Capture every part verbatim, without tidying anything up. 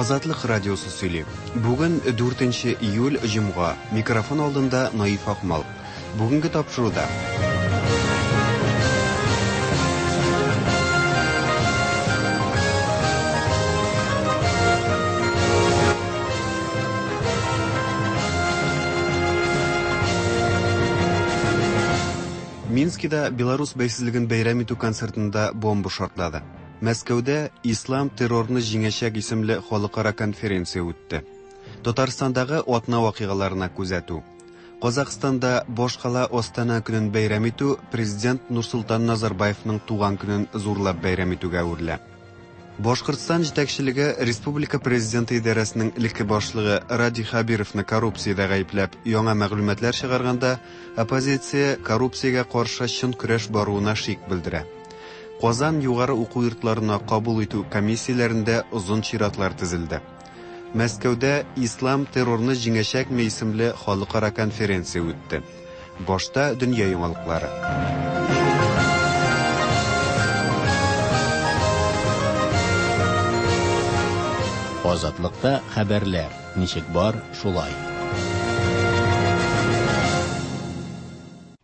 Азатлык радиосы сөйли. Бүген дүртенче июль, җомга. Микрофон алдында Наиф Акмал. Бүгенге тапшыруда. Минскида Беларус бәйсезлеген бәйрәм итү концертында бомба шартлады. Мәскәүдә Ислам террорны җиңәчәк исемле халыкара конференция үтте. Татарстандагы атна вакыйгаларына күзәтү. Казахстанда башкала Астана көнен бәйрәм итү президент Нурсултан Назарбаевның туган көнен зурлап бәйрәм итүгә әверелә. Башкортстан җитәкчелеге Республика президенты идарәсенең элекке башлыгы Радий Хәбировны коррупциядә гаепләп яңа мәгълүматлар чыгарганда, оппозиция коррупциягә каршы чын көрәш баруына шик белдерә. Казан югары уку йортларына кабул итү комиссияләрендә озын чиратлар тезелде. Мәскәүдә Ислам террорны җиңәчәкме исемле халыкара конференция үтте. Башта дөнья яңалыклары. Азатлыкта хәбәрләр ничек бар, шулай.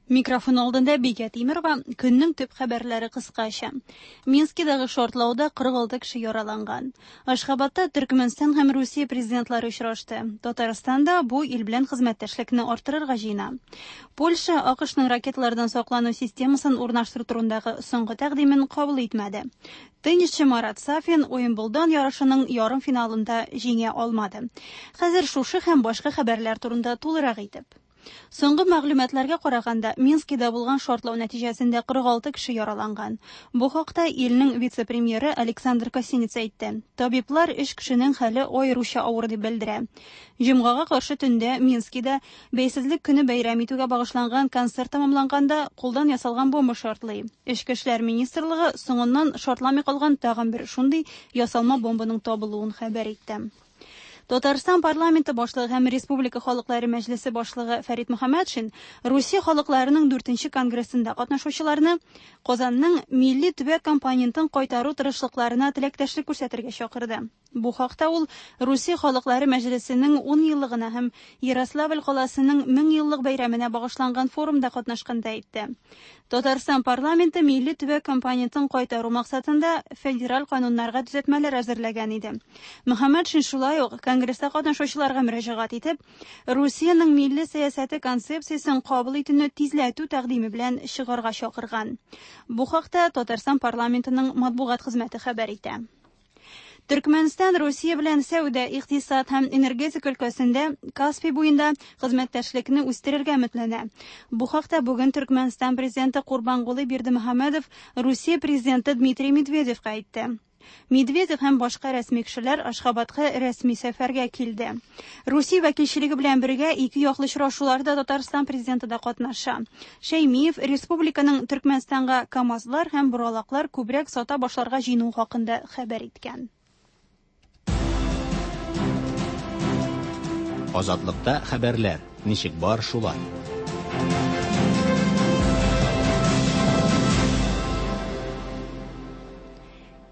Микрофон алдында Бикә Тимирова, көннең төп хәбәрләре кыскача. Минскидагы шартлауда кырык алты кеше яраланган. Ашхабадта Төркмәнстан һәм Русия президентлары очрашты. Татарстанда бу ил белән хезмәттәшлекне арттырырга җыена. Польша АКШның ракеталардан саклану системасын урнаштыру турындагы соңгы тәкъдимен кабул итмәде. Теннисчы Марат Сафин Уимблдон ярышының ярым финалында җиңә алмады. Хәзер шушы һәм башка хәбәрләр турында тулырак итеп. Соңгы мәгълүматларга караганда, Минскида булган шартлау нәтиҗәсендә кырык алты кеше яраланган. Бу хакта илнең вице-премьеры Александр Косинец әйтте. Табиблар өч кешенең хәле аеруча авыр дип белдерә. Җомгага каршы төндә Минскида Бәйсезлек көне бәйрәм итүгә багышланган концерт тәмамланганда кулдан ясалган бомба шартлый. Эчке эшләр министрлыгы соңыннан шартламый калган тагын бер шундый ясалма бомбаның табылуын хәбәр итте. Татарстан парламенты башлыгы һәм Республика халыклары мәҗлесе башлыгы Фәрит Мөхәммәтшин Русия халыкларының дүртенче конгрессында катнашучыларны Казанның милли төбәк компонентын кайтару тырышлыкларына теләктәшлек күрсәтергә чакырды. Бу хакта ул Русия халыклары мәҗлесенең ун еллыгына һәм Ярославль каласының мең еллык бәйрәменә багышланган форумда катнашканда әйтте. Татарстан парламенты милли төбәк компонентын кайтару максатында федераль кануннарга төзәтмәләр әзерләгән иде. Мөхәммәтшин шулай ук конгресста катнашучыларга мөрәҗәгать итеп, Русиянең милли сәясәте концепциясен кабул итүне тизләтү тәкъдиме белән чыгарга чакырган. Бу хакта Татарстан парламентының матбугат хезмәте хәбәр итә. Төркмәнстан Русия белән сәүдә, икътисад һәм энергетика өлкәсендә Каспий буенда хезмәттәшлекне үстерергә өметләнә. Бу хакта бүген Төркмәнстан президенты Курбангулы Бердымөхәммәдов Русия президенты Дмитрий Медведевка әйтте. Медведев һәм башка рәсми кешеләр Ашхабадка рәсми сәфәргә килде. Русия вәкилчелеге белән бергә ике яклы очрашуларда Татарстан президенты да катнаша. Шәймиев республиканың Төркмәнстанга КАМАЗлар һәм боралаклар күбрәк сата башларга җыенуы хакында хәбәр иткән. Азатлыкта хәбәрләр ничек бар, шулай.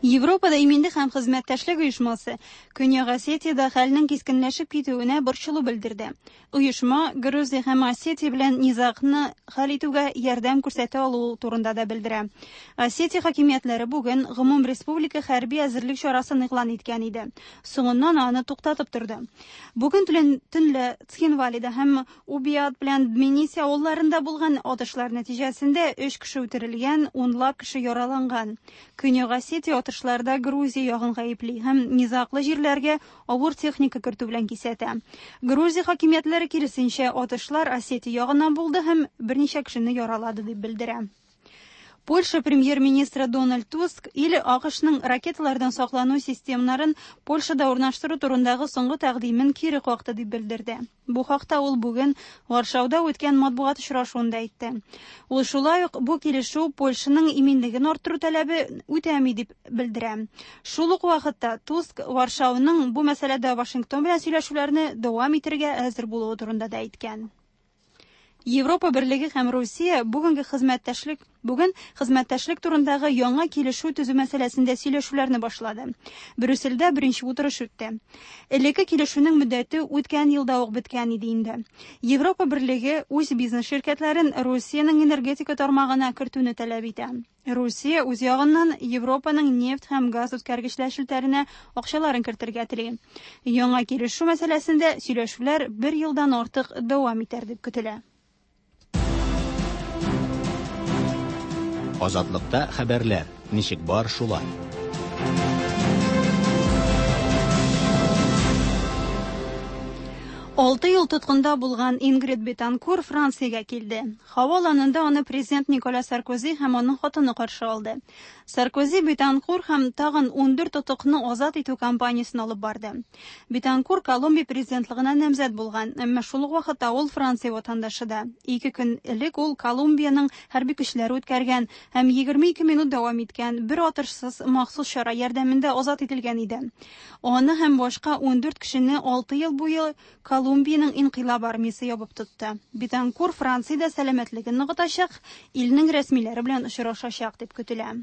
Европада иминлек һәм хезмәттәшлек оешмасы Көньяк Осетиядә хәлнең кискенләшеп китүенә борчылу белдерде. Оешма Грузия һәм Осетия белән низагны хәл итүгә ярдәм күрсәтә алуы турында да белдерә. Осетия хакимиятләре бүген гомум республика хәрби әзерлек чарасын игълан иткән иде. Соңыннан аны туктатып торды. Бүген төнлә Цхинвалида һәм Убиат белән Дмениси авылларында булган атышлар нәтиҗәсендә өч кеше үтерелгән, унлап кеше яраланган. Көньяк Осетия атышларда Грузия ягын гаепли һәм низаглы җирләргә авыр техника кертү белән кисәтә. Грузия хакимиятләре киресенчә атышлар Осетия ягыннан булды һәм берничә кешене яралады дип белдерә. Польша премьер-министры Дональд Туск ил АКШның ракеталардан саклану системнарын Польшада урнаштыру турындагы соңгы тәкъдимен кире какты дип белдерде. Бу хакта ул бүген Варшауда үткән матбугат очрашуында әйтте. Ул шулай ук бу килешү Польшаның иминлеген арттыру таләбе үтәми дип белдерә. Шул ук вакытта Туск Варшауның бу мәсьәләдә Вашингтон белән сөйләшүләрне дәвам итәргә әзер булуы турында да әйткән. Европа Берлеге һәм Русия бүгенге хезмәттәшлек бүген хезмәттәшлек турындагы яңа килешү төзү мәсьәләсендә сөйләшүләрне башлады. Брюссельдә беренче утырыш үтте. Элекке килешүнең мөддәте үткән елда ук беткән иде инде. Европа Берлеге үз бизнес ширкәтләрен Русиянең энергетика тармагына кертүне таләп итә. Русия үз ягыннан Европаның нефть һәм газ үткәргечләр челтәренә акчаларын кертергә тели. Яңа килешү мәсьәләсендә сөйләшүләр бер елдан артык дәвам итәр дип көтелә. Азатлыкта хәбәрләр ничек бар шулай. Алты ел тоткында булган Ингрид Бетанкур Франциягә килде. Һава аланында аны президент Николя Саркози һәм аның хатыны каршы алды. Саркози Бетанкур һәм тагын ун дүрт тотыкны азат итү кампаниясен алып барды. Бетанкур Колумбия президентлыгына намзәт булган, әмма шул ук вакытта ул Франция ватандашы да. Ике көн элек ул Колумбияның хәрби көчләре үткәргән һәм егерме ике минут дәвам иткән бер атышсыз махсус чара ярдәмендә азат ителгән иде. Аны һәм башка ун дүрт кешене алты ел буе Колумбияның инкыйлаб армиясе ябып тотты. Бетанкур Франциядә сәламәтлеген ныгытачак, илнең рәсмиләре белән очрашачак дип көтелә.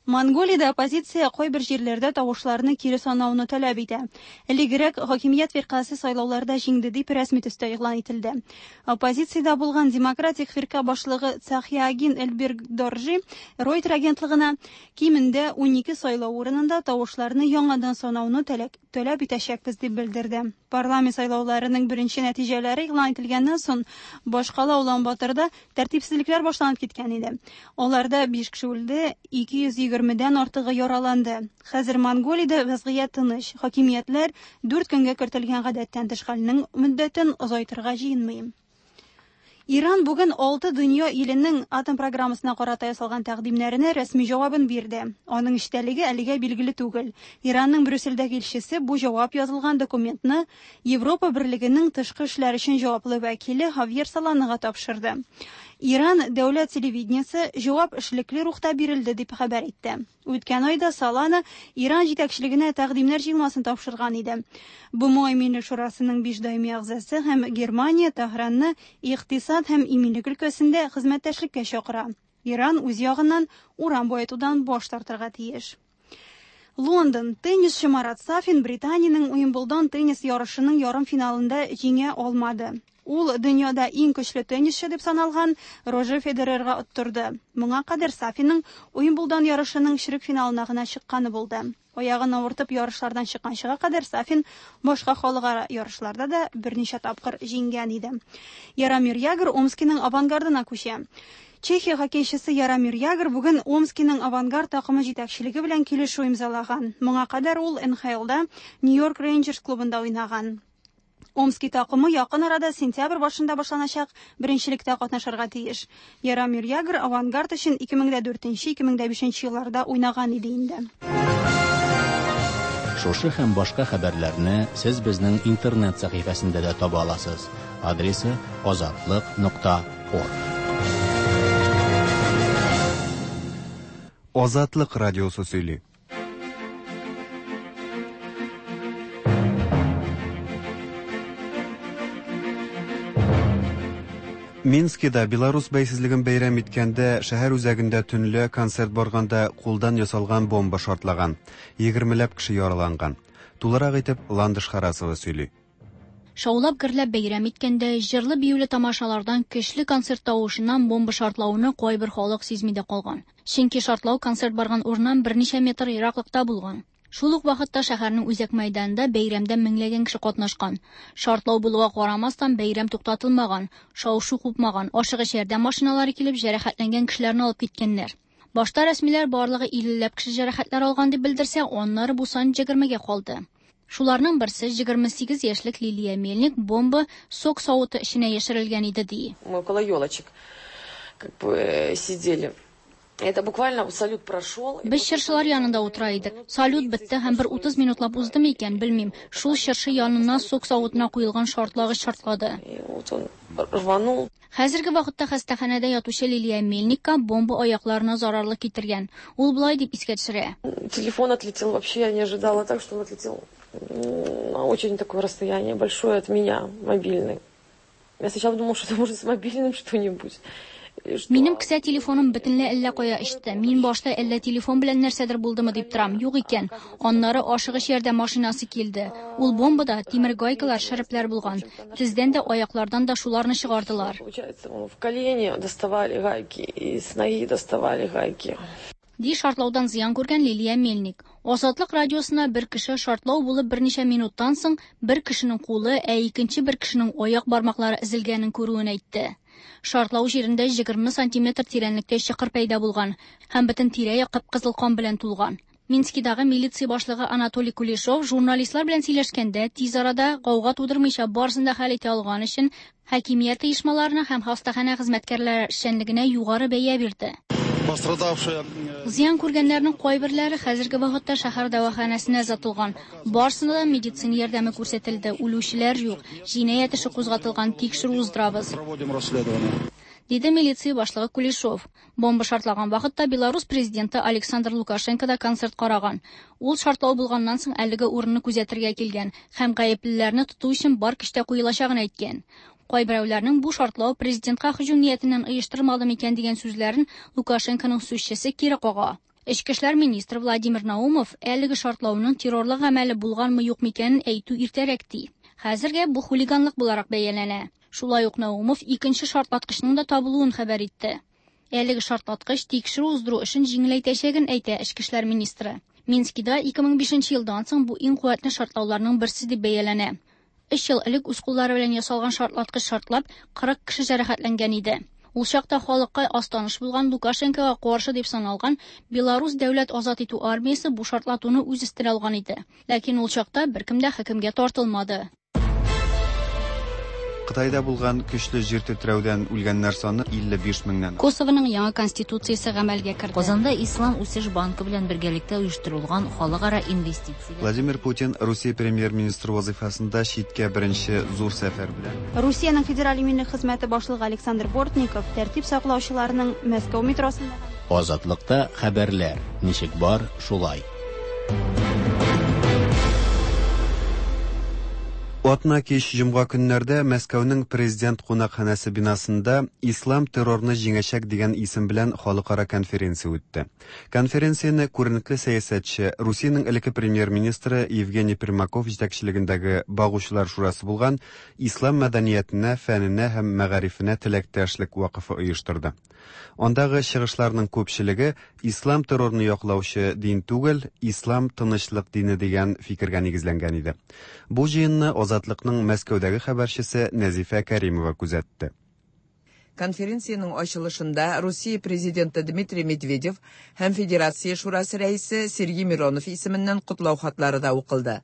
Монголиядә оппозиция кайбер җирләрдә тавышларны кире санауны таләп итә. Элегрәк хакимият фиркасе сайлауларда җиңде дип рәсми төстә игълан ителде. Оппозициядә булган Демократик фирка башлыгы Цахиагин Эльберг-Доржи Reuters агентлыгына кимендә ун ике сайлау урынында тавышларны яңадан санауны таләп итәчәкбез дип белдерде. Парламент сайлауларының беренче нәтиҗәләре игълан ителгәннән соң башкала Улан-Баторда тәртипсезлекләр башланып киткән иде. Аларда биш кеше үлде, ике йөз егермедән артыгы яраланды. Хәзер Монголиядә вазгыять тыныч. Хакимиятләр дүрт көнгә кертелгән гадәттән тыш хәлнең мөддәтен озайтырга җыенмый. Иран бүген алты дөнья иленең атом программасына карата ясалган тәкъдимнәренә рәсми җавабын бирде. Аның эчтәлеге әлегә билгеле түгел. Иранның Брюссельдәге илчесе бу җавап язылган документны Европа Берлегенең тышкы эшләр өчен җаваплы вәкиле Хавьер Соланага тапшырды. Иран дәүләт телевидениесе җавап эшлекле рухта бирелде дип хәбәр итте. Үткән айда Солана Иран җитәкчелегенә тәкъдимнәр җыелмасын тапшырган иде. БМО Иминлек шурасының биш даими әгъзасы һәм Германия Тәһранны икътисад һәм иминлек өлкәсендә хезмәттәшлеккә чакыра. Иран үз ягыннан уран баетудан баш тартырга тиеш. Лондон. Теннисчы Марат Сафин Британиянең Уимблдон теннис ярышының ярым финалында җиңә алмады. Ул дөньяда иң көчле теннисчы дип саналган Рожер Федерерга оттырды. Моңа кадәр Сафинның Уимблдон ярышының чирек финалына гына чыкканы булды. Аягын авыртып ярышлардан чыкканчыга кадәр Сафин башка халыкара ярышларда да берничә тапкыр җиңгән иде. Яромир Ягр Омскиның Авангардына күчә. Чехия хоккейчысы Яромир Ягр бүген Омскиның Авангард такымы җитәкчелеге белән килешү имзалаган. Моңа кадәр ул Н Х Лда Нью-Йорк Рейнджерс клубында уйнаган. Омский такымы якын арада сентябрь башында башланачак беренчелектә катнашырга тиеш. Яромир Ягр Авангард өчен ике мең дүртенче - ике мең бишенче елларда уйнаган иде инде. Шушы һәм башка хәбәрләрне сез безнең интернет сәхифәсендә дә таба аласыз. Адресы азатлык нокта орг. Азатлык радиосы сөйли. Минскида Беларус бәйсезлеген бәйрәм иткәндә шәһәр үзәгендә төнлә концерт барганда кулдан ясалган бомба шартлаган. Егермеләп кеше яраланган. Тулырак итеп Ландыш Харасова сөйли. Шаулап гөрләп бәйрәм иткәндә җырлы биюле тамашалардан көчле концерт тавышыннан бомба шартлауны кайбер халык сизми дә калган. Чөнки шартлау концерт барган урыннан берничә метр ераклыкта булган. Шул ук вакытта шәһәрнең үзәк мәйданында бәйрәмдә меңләгән кеше катнашкан. Шартлау булуга карамастан бәйрәм туктатылмаган, шау-шу купмаган, ашыгыч ярдәм машиналары килеп җәрәхәтләнгән кешеләрне алып киткәннәр. Башта рәсмиләр барлыгы иллеләп кеше җәрәхәтләр алган дип белдерсә, аннары бу сан егермегә калды. Шуларның берсе егерме сигез яшьлек Лилия Мельник бомба сок савыты эченә яшерелгән иде ди. Мы около елочек как бы сидели. Это буквально салют прошел. Без чыршылар янында утыра идек. Салют бетте һәм бер утыз минутлап узды микән, белмим. Шул чыршы янына сок савытына куелган шартлагыч шартлады. Вот он рванул. Хәзерге вакытта хастаханәдә ятучы Лилия Мельникка бомба аякларына зарарлы китергән. Ул болай дип искә төшерә. Телефон отлетел, вообще я не ожидала так, что он отлетел на очень такое расстояние большое от меня, мобильный. Я сначала думала, что это может с мобильным что-нибудь. Минем кесә телефоным бөтенләй әллә кая очты. Мин башта әллә телефон белән нәрсәдер булдымы дип торам. Юк икән. Аннары ашыгыч ярдәм машинасы килде. Ул бомбада тимер гайкалар, шәрепләр булган. Тездән дә, аяклардан да шуларны чыгардылар. Получается, в колени доставали гайки, и с ноги доставали гайки. Ди шартлаудан зыян күргән Лилия Мельник. Азатлык радиосына бер кеше шартлау булып берничә минуттан соң бер кешенең кулы, ә икенче бер кешенең аяк бармаклары өзелгәнен күрүен әйтте. Шартлау җирендә егерме сантиметр тирәнлектә чокыр пәйда булган һәм бөтен тирә-як кып-кызыл кан белән тулган. Минскидагы милиция башлыгы Анатолий Кулешов журналистлар белән сөйләшкәндә тиз арада гауга тудырмыйча барысын да хәл итә алган өчен хакимият оешмаларына һәм хастаханә хезмәткәрләре эшчәнлегенә югары бәя бирде. Пострадавшие Зыян күргәннәрнең кайберләре хәзерге вакытта шәһәр дәваханәсенә озатылган. Барысына да медицина ярдәме күрсәтелде. Үлүчеләр юк. Җинаять эше кузгатылган, тикшерү уздырабыз. Проводим расследование. Диде милиция башлыгы Кулешов. Бомба шартлаган вакытта Беларусь президенты Александр Лукашенко да концерт караган. Ул шартлау булганнан соң әлеге урынны күзәтергә килгән һәм гаеплеләрне тоту өчен бар көч тә куелачагын әйткән. Кайберәүләрнең бу шартлау президентка һөҗүм ниятеннән оештырмады микән дигән сүзләрен Лукашенконың сүзчесе кире кага. Эчке эшләр министры Владимир Наумов әлеге шартлауның террорлык гамәле булганмы юк микәнен әйтү иртәрәк ди. Хәзергә бу хулиганлык буларак бәяләнә. Шулай ук Наумов икенче шартлаткычның да табылуын хәбәр итте. Әлеге шартлаткыч тикшерү уздыру эшен җиңеләйтәчәген әйтә эчке эшләр министры. Минскида ике мең бишенче елдан соң бу иң куәтле шартлауларның берсе дип бәяләнә. Өч ел элек үз куллары белән ясалган шартлаткыч шартлап, кырык кеше җәрәхәтләнгән иде. Ул чакта халыкка аз таныш булган Лукашенкога каршы дип саналган Беларусь дәүләт азат итү армиясе бу шартлатуны үз өстенә алган иде. Ләкин ул чакта беркем дә хөкемгә тартылмады. Кытайда булган көчле җир тетрәүдән үлгәннәр саны илле биш меңнән. Косовоның яңа конституциясе гамәлгә керде. Казанда Ислам үсеш банкы белән бергәлектә оештырылган халыкара инвестицияләр. Владимир Путин Русия премьер-министры вазифасында читкә беренче зур сәфәр белән. Русиянең федераль иминлек хезмәте башлыгы Александр Бортников тәртип саклаучыларның Мәскәү метросында Азатлыкта хәбәрләр ничек бар, шулай. Атна кич җомга көннәрдә Мәскәүнең президент кунакханәсе бинасында Ислам террорны җиңәчәк дигән исем белән халыкара конференция үтте. Конференцияне күренекле сәясәтче, Русиянең элекке премьер-министры Евгений Примаков җитәкчелегендәге Багучылар шурасы булган Ислам мәдәниятенә, фәненә һәм мәгарифенә теләктәшлек вакыфы оештырды. Андагы чыгышларның күпчелеге Ислам террорны яклаучы дин түгел, Ислам тынычлык дине дигән фикергә нигезләнгән иде. Бу җыенны Азатлыкның Мәскәүдәге хәбәрчесе Нәзифә Кәримова күзәтте. Конференциянең ачылышында Русия президенты Дмитрий Медведев һәм Федерация шурасы рәисе Сергей Миронов исеменнән котлау хатлары да укылды.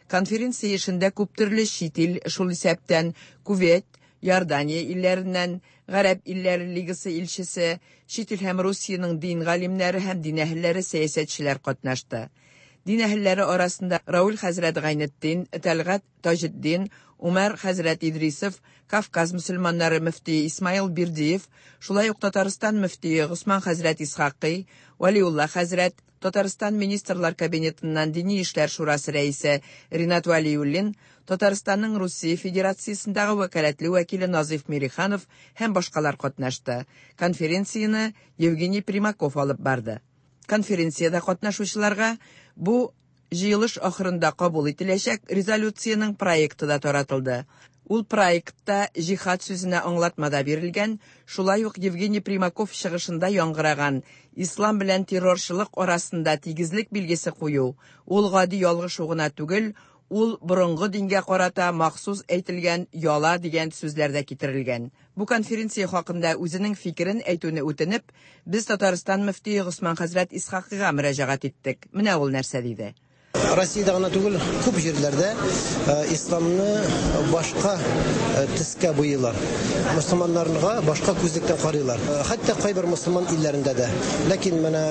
Конференция эшендә күптөрле чит ил, шул исәптән Кувейт, Иордания илләреннән, Гарәп илләре лигасы илчесе, чит ил һәм Русиянең дин галимнәре һәм дин әһелләре, сәясәтчеләр катнашты. Дин әһелләре арасында Рауль хәзрәт Гайнетдин, Тәлгать Таҗетдин, Умар хәзрәт Идрисов, Кавказ мөселманнары мөфтие Исмаил Бирдиев, шулай ук Татарстан мөфтие Госман хәзрәт Исхакый, Вәлиулла хәзрәт, Татарстан Министрлар Кабинетыннан Дини эшләр шурасы рәисе Ринат Вәлиуллин, Татарстанның Русия Федерациясендәге вәкаләтле вәкиле Назиф Мириханов һәм башкалар катнашты. Конференцияне Евгений Примаков алып барды. Конференциядә катнашучыларга бу җыелыш ахырында кабул ителәчәк резолюциянең проекты да таратылды. Ул проектта җихад сүзенә аңлатма да бирелгән, шулай ук Евгений Примаков чыгышында яңгыраган Ислам белән террорчылык арасында тигезлек билгесе кую, ул гади ялгышу гына түгел, ул борынгы дингә карата махсус әйтелгән яла дигән сүзләр дә китерелгән. Бу конференция хакында үзенең фикерен әйтүне үтенеп, без Татарстан мөфтие Госман хәзрәт Исхакыйга мөрәҗәгать иттек. Менә ул нәрсә диде. Россиядә гына түгел, күп җирләрдә, э, исламны башка, э, төскә буйыйлар. Мөселманнарга башка күзлектән карыйлар. Э, хәтта кайбер мөселман илләрендә дә. Ләкин менә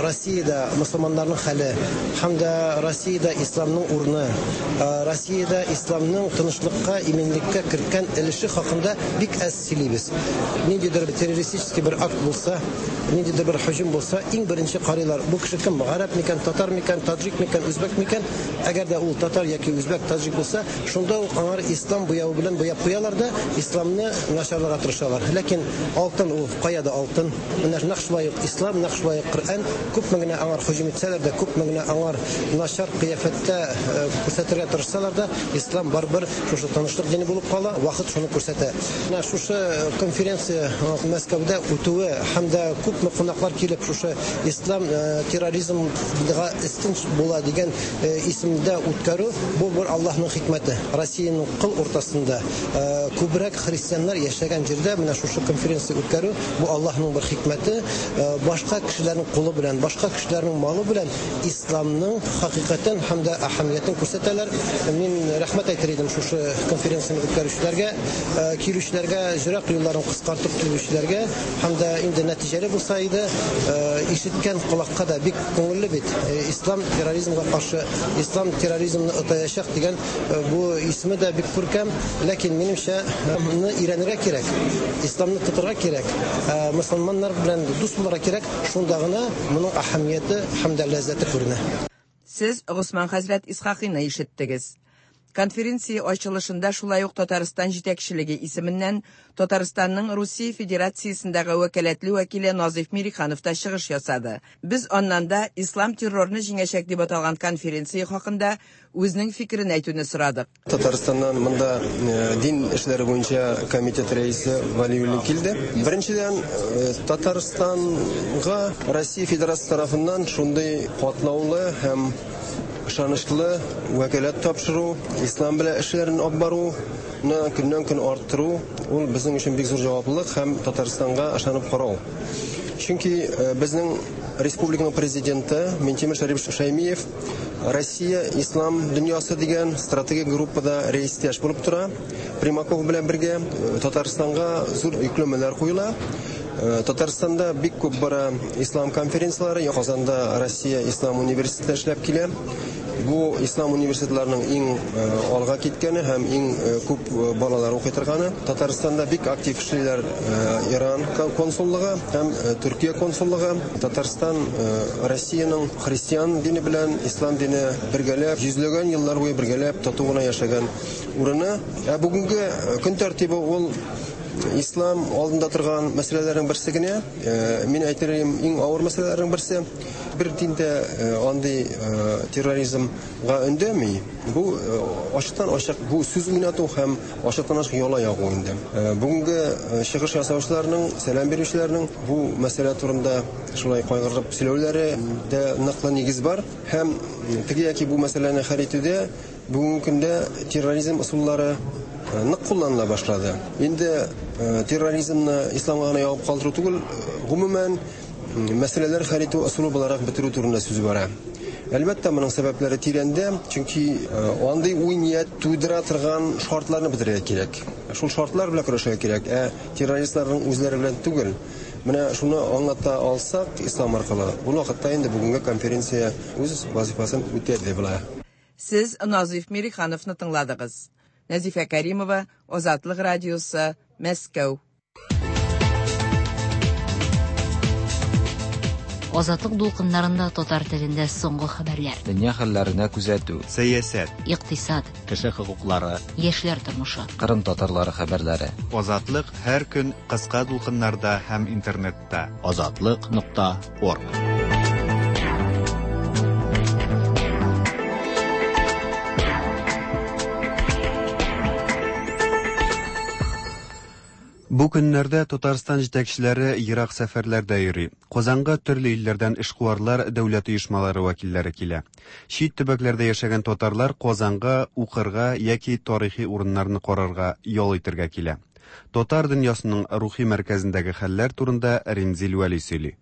Россиядә мөселманнарның хәле һәм дә Россиядә исламның урыны, э, Россиядә исламның тынычлыкка, иминлеккә керткән өлеше хакында бик әз сөйлибез. Ниндидер террористический бер акт булса, ниндидер бер һөҗүм булса, иң беренче карыйлар. Бу кеше кем? Гарәп микән, татар микән, таджик микән, микән, үзбәк микән, әгәр дә ул татар яки үзбәк, таҗик булса, шунда ук аңар ислам буявы белән буяп куялар да, исламны начарларга тырышалар. Ләкин алтын ул кая да алтын. Менә нәкъ шулай ук ислам, нәкъ шулай ук Коръән күпме генә аңар һөҗүм итсәләр дә, күпме генә аңар начар кыяфәттә күрсәтергә тырышсалар да, ислам барыбер шушы тынычлык дине булып кала, вакыт шуны күрсәтә. Менә шушы конференция Мәскәүдә үтүе һәм дә күпме кунаклар килеп шушы ислам терроризмга өстен була дигән исемдә үткәрү, бу бер Аллаһның хикмәте. Россиянең кыл уртасында күбрәк христианнар яшәгән җирдә менә шушы конференция үткәрү, бу Аллаһның бер хикмәте. Башка кешеләрнең кулы белән, башка кешеләрнең малы белән исламның хакыйкатен һәм дә әһәмиятен күрсәтәләр. Мин рәхмәт әйтер идем шушы конференцияне үткәрүчеләргә, килүчеләргә, җырак юлларын кыскартып килүчеләргә һәм дә инде нәтиҗәле булса иде, ишеткән колакка да бик күңелле бит. Ислам терроризмга каршы, ислам терроризмны отаячак дигән бу исеме дә бик күркәм, ләкин минемчә моны өйрәнергә кирәк, исламны тотырга кирәк, мөселманнар белән дус булырга кирәк, шунда гына моның әһәмияте һәм дә ләззәте күренә. Сез Госман хәзрәт Исхакыйны ишеттегез. Конференция ачылышында шулай ук Татарстан җитәкчелеге исеменнән Татарстанның Русия Федерациясендәге вәкаләтле вәкиле Назиф Мириханов та чыгыш ясады. Без аннан да ислам террорны җиңәчәк дип аталган конференция хакында үзенең фикерен әйтүне сорадык. Татарстаннан монда дин эшләре буенча комитет рәисе Валиуллин килде. Беренчедән, Татарстанга Россия Федерациясе тарафыннан шундый катлаулы һәм ышанычлы вәкаләт тапшыру, ислам белән эшләрен алып баруны көннән-көн арттыру, ул безнең өчен бик зур җаваплылык һәм Татарстанга ышанып карау. Чөнки безнең республиканың президенты Минтимер Шарипович Шаймиев Россия ислам дөньясы дигән стратегик группада рәистәш булып тора. Примаков белән бергә Татарстанга зур йөкләмәләр куела. Татарстанда бик күп бара ислам конференцияләре, Казанда Россия Ислам университеты эшләп килә. Бу ислам университетларының иң алга киткәне һәм иң күп балалар укый торганы. Татарстанда бик актив эшлиләр Иран консуллыгы һәм Төркия консуллыгы. Татарстан Россиянең христиан дине белән ислам дине бергәләп, йөзләгән еллар буе бергәләп тату гына яшәгән урыны. Ә бүгенге көн тәртибе ул ислам алдында торган мәсьәләләрнең берсе генә. Мин әйтер идем, иң авыр мәсьәләләрнең берсе. Бер диндә андый терроризмга өндәми. Бу ачыктан ачык бу сүз уйнату һәм ачыктан ачык яла ягу инде. Бүгенге чыгыш ясаучыларның, сәлам бирүчеләрнең бу мәсьәлә турында шулай кайгырып сөйләүләре дә ныклы нигез бар. Һәм теге яки бу мәсьәләне хәл итүдә бүгенге көндә терроризм ысуллары нык кулланыла башлады. Инде терроризмны исламга гына ябып калдыру түгел, гомумән мәсьәләләр хәл итү ысулы буларак бетерү турында сүз бара. Әлбәттә, моның сәбәпләре тирәндә, чөнки андый уй-ният тудыра торган шартларны бетерергә кирәк. Шул шартлар белән көрәшергә кирәк, ә террористларның үзләре белән түгел. Менә шуны аңлата алсак ислам аркылы, бу вакытта инде бүгенге конференция үз вазифасын үтәде була. Сез Назиф Мирихановны тыңладыгыз. Нәзифә Каримова, Азатлык радиосы, Мәскәү. Азатлык дулкыннарында татар телендә соңгы хәбәрләр. Дөнья хәлләренә күзәтү. Сәясәт, икътисад, кеше хокуклары, яшьләр тормышы. Кырым татарлары хәбәрләре. Азатлык һәр көн кыска дулкыннарда һәм интернетта. Азатлык нокта орг. Бу көннәрдә Татарстан җитәкчеләре ерак сәфәрләрдә йөри. Казанга төрле илләрдән эшкуарлар, дәүләт оешмалары вәкилләре килә. Чит төбәкләрдә яшәгән татарлар Казанга укырга яки тарихи урыннарны карарга, ял итәргә килә. Татар дөньясының рухи мәркәзендәге хәлләр турында Римзил Вәли сөйли.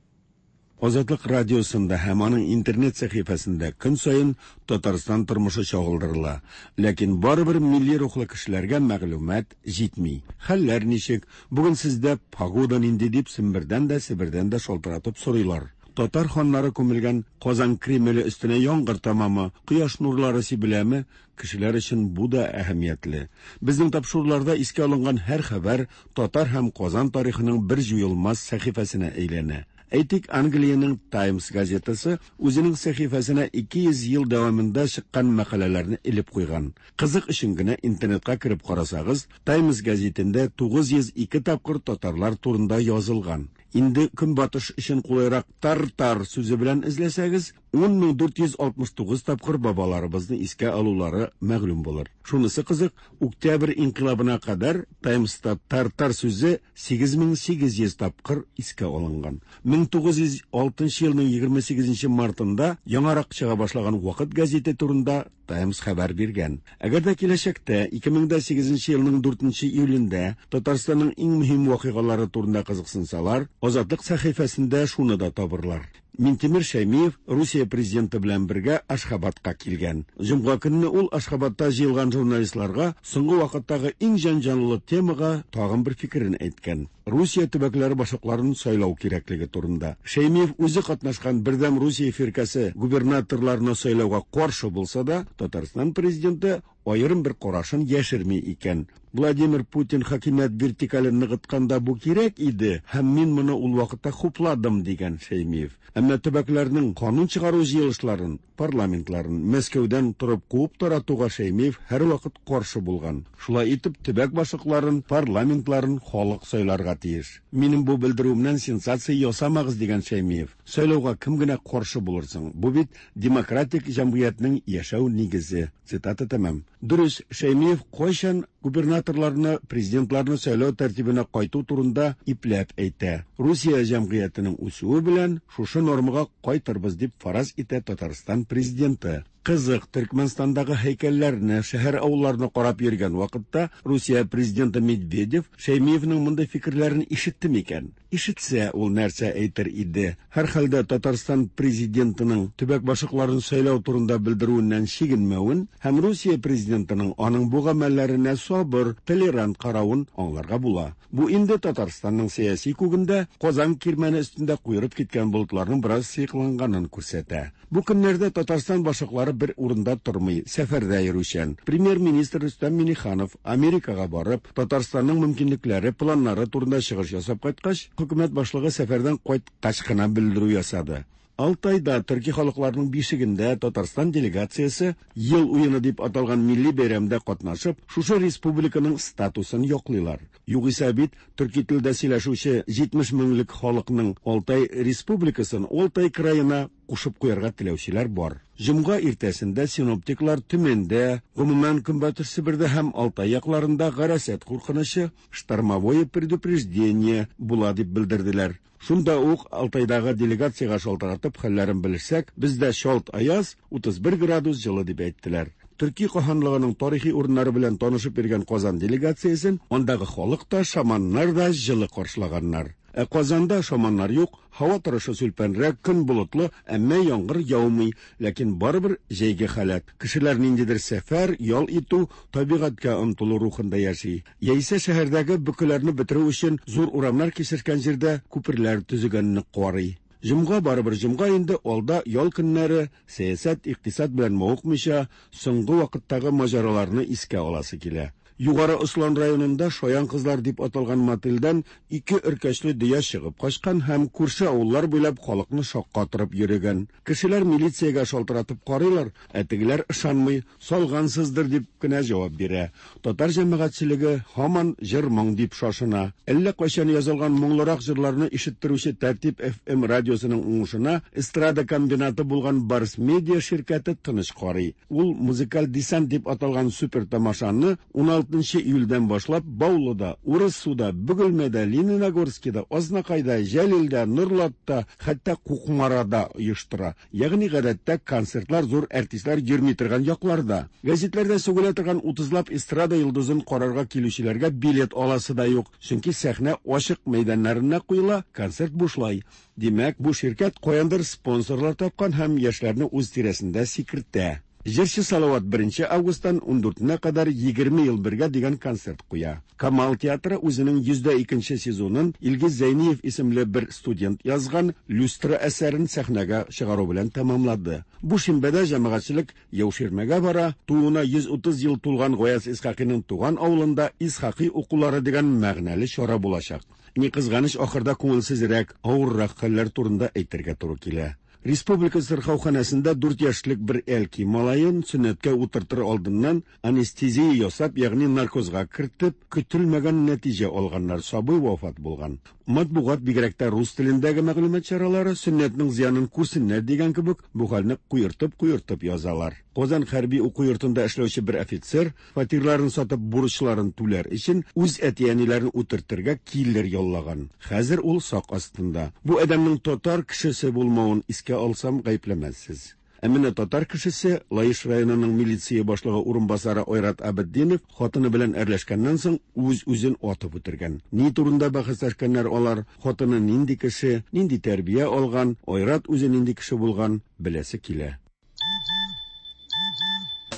Азатлык радиосында һәм аның интернет сәхифәсендә көн саен Татарстан тормышы чагылдырыла. Ләкин барыбер милли рухлы кешеләргә мәгълүмат җитми. Хәлләр ничек? Бүген сездә погода нинди дип Сембердән дә, Себердән дә шалтыратып сорыйлар. Татар ханнары күмелгән Казан Кремле өстенә яңгыр тамамы, кояш нурлары сибеләме? Кешеләр өчен бу да әһәмиятле. Безнең тапшыруларда искә алынган һәр хәбәр татар һәм Казан тарихының бер җуелмас сәхифәсенә әйләнә. Әйтик, Англиянең Times газетасы үзенең сәхифәсенә ике йөз ел дәвамында чыккан мәкаләләрне элеп куйган. Кызык өчен генә интернетка кереп карасагыз, Times газетында тугыз йөз ике тапкыр татарлар турында язылган. Инде көнбатыш өчен кулайрак тар-тар сүзе белән эзләсәгез, ун мең дүрт йөз алтмыш тугыз тапкыр бабаларыбызны искә алулары мәгълүм булыр. Шунысы кызык, Октябрь инкыйлабына кадәр Таймста тар-тар сүзе сигез мең сигез йөз тапкыр искә алынган. мең тугыз йөз алтынчы елның егерме сигезенче мартында яңарак чыга башлаган Вакыт газеты турында Таймс хәбәр биргән. Әгәр дә киләчәктә ике мең дә сигезенче елның дүртенче июлендә Татарстанның иң мөһим вакыйгалары турында кызыксынсалар, Азатлык сәхифәсендә шуны да табырлар. Минтимер Шәймиев Русия президенты белән бергә Ашхабадка килгән. Җомга көнне ул Ашхабадта җыелган журналистларга соңгы вакыттагы иң җәнҗаллы темага тагын бер фикерен әйткән. Русия төбәкләре башлыкларын сайлау кирәклеге турында. Шәймиев үзе катнашкан Бердәм Русия фиркәсе губернаторларны сайлауга каршы булса да, Татарстан президенты аерым бер карашын яшерми икән. Владимир Путин хакимият вертикален ныгытканда бу кирәк иде, һәм мин моны ул вакытта хупладым, дигән Шәймиев. Әмма төбәкләрнең канун чыгару җыелышларын, парламентларын Мәскәүдән торып куып таратуга Шәймиев һәрвакыт каршы булган. Шулай итеп, төбәк башлыкларын, парламентларын халык сайларга тиеш. Минем бу белдерүемнән сенсация ясамагыз, дигән Шәймиев. Сайлауга кем генә каршы булырсың? Бу бит демократик җәмгыятьнең яшәү нигезе. Цитата тәмам. Дөрес, Шәймиев кайчан губернаторларны, президентларны сайлау тәртибенә кайту турында ипләп әйтә. Русия җәмгыятенең үсүе белән шушы нормага кайтырбыз дип фараз итә Татарстан президенты. Кызык, Төркмәнстандагы һәйкәлләрне, шәһәр авылларны карап йөргән вакытта Русия президенты Медведев Шәймиевнең мондый фикерләрен ишетте микән? Ишетсә, ул нәрсә әйтер иде? Һәр хәлдә Татарстан президентының төбәк башлыкларын сайлау турында белдерүеннән чигенмәвен һәм Русия президентының аның бу гамәлләренә сабыр, толерант каравын аңларга була. Бу инде Татарстанның сәяси күгендә Казан кирмәне өстендә куерып киткән болытларның бераз сыекланганын күрсәтә. Бу көннәрдә Татарстан башлыклары бер урында тормый, сәфәрдә йөрүчән. Премьер-министр Рөстәм Миңнеханов Америкага барып, Татарстанның мөмкинлекләре, планнары турында чыгыш ясап кайткач, хөкүмәт башлыгы сәфәрдән кайткач кына белдерү ясады. Алтайда төрки халыкларының бишегендә Татарстан делегациясе ел уены дип аталган милли бәйрәмдә катнашып, шушы республиканың статусын яклыйлар. Югыйсә бит төрки телдә сөйләшүче җитмеш меңлек халыкның Алтай республикасын Алтай краена кушып куярга теләүчеләр бар. Җомга иртәсендә синоптиклар Төмәндә, гомумән Көнбатыш Себердә һәм Алтай якларында гарасат куркынычы, штормовое предупреждение була дип белдерделәр. Шунда ук Алтайдагы делегациягә шалтыратып хәлләрен белешсәк, бездә шалт аяз, утыз бер градус җылы дип әйттеләр. Төрки каһанлыгының тарихи урыннары белән танышып йөргән Казан делегациясен андагы халык та, шаманнар да җылы каршылаганнар. Ә Казанда шаманнар юк, һава торышы сүлпәнрәк, көн болытлы, әмма яңгыр яумый, ләкин барыбер җәйге халәт. Кешеләр ниндидер сәфәр, ял итү, табигатькә омтылу рухында яши. Яисә шәһәрдәге бөкеләрне бетерү өчен зур урамнар кисешкән җирдә күперләр төзегәнне карый. Җомга барыбер җомга инде, алда ял көннәре, сәясәт, икътисад белән мавыкмыйча, соңгы вакыттагы маҗараларны искә аласы килә. Югары Ослан районында Шаян кызлар дип аталган мотельдән ике өркәчле дөя чыгып качкан һәм күрше авыллар буйлап халыкны шаккатырып йөрегән. Кешеләр милициягә шалтыратып карыйлар, ә тегеләр ышанмый, салгансыздыр дип кенә җавап бирә. Татар җәмәгатьчелеге һаман җыр-моң дип шашына. Әллә кайчан язылган моңлырак җырларны ишеттерүче Тәртип эф эм радиосының уңышына эстрада комбинаты булган Барс Медиа ширкәте тыныч карый. Ул музыкаль десант дип аталган супер тамашаны ун алтынчы июльдән башлап Баулыда, Урыссуда, Бөгелмәдә, Лениногорскида, Азнакайда, Җәлилдә, Нурлатта, хәтта Кукмарада оештыра. Ягъни гадәттә концертлар зур артистлар йөрми торган якларда. Гәзитләрдә сүгелә торган утызлап эстрада йолдызын карарга килүчеләргә билет аласы да юк, чөнки сәхнә ачык мәйданнарына куела, концерт бушлай. Димәк, бу ширкәт каяндыр спонсорлар тапкан һәм яшьләрне үз тирәсендә сикертә. Җырчы Салават беренче августтан ундүртенә кадәр егерме ел бергә дигән концерт куя. Камал театры үзенең йөз дә икенче сезонын Илгиз Зәйниев исемле бер студент язган «Люстра» әсәрен сәхнәгә чыгару белән тәмамлады. Бу шимбәдә җәмәгатьчелек Яуширмәгә бара, тууына йөз утыз ел тулган Гаяз Исхакыйның туган авылында Исхакый укулары дигән мәгънәле чара булачак. Ни кызганыч, ахырда күңелсезрәк, авыррак хәлләр турында әйтергә туры килә. Республика сырхауханәсендә дүрт яшьлек бер әлки малаен сөннәткә утыртыр алдыннан анестезия ясап, ягъни наркозга кертеп, көтелмәгән нәтиҗә алганнар, сабый вафат булган. Матбугат, бигрәк тә рус телендәге мәгълүмат чаралары, сөннәтнең зыянын күрсеннәр дигән кебек, бу хәлне куертып-куертып язалар. Казан хәрби уку йортында эшләүче бер офицер фатирларын сатып бурычларын түләр өчен үз әти-әниләрен үтертергә киллер яллаган. Хәзер ул сак астында. Бу адәмнең татар кешесе булмавын искә алсам, гаепләмәссез. Ә менә татар кешесе, Лаеш районының милиция башлыгы урынбасары Айрат Абетдинов хатыны белән әрләшкәннән соң үз-үзен атып үтергән. Ни турында бәхәсләшкәннәр алар, хатыны нинди кеше, нинди тәрбия алган, Айрат үзе нинди кеше булган, беләсе килә.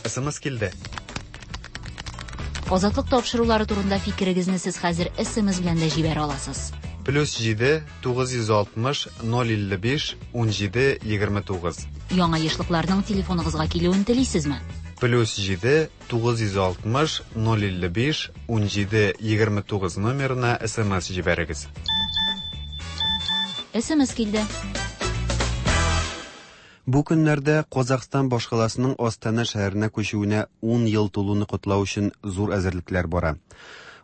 СМС килде. Азатлык тапшырулары турында фикерегезне сез хәзер СМС белән дә җибәрә аласыз. Плюс җиде, тугыз йөз алтмыш, ноль илле биш, ун җиде, егерме тугыз. Яңа ешлыкларның телефоныгызга килүен телисезме? Плюс җиде, тугыз йөз алтмыш, ноль илле биш, ун җиде, егерме тугыз номерына СМС җибәрегез. СМС килде. Бу көннәрдә Казахстан башкаласының Астана шәһәренә күчүенә ун ел тулуны котлау өчен зур әзерлекләр бара.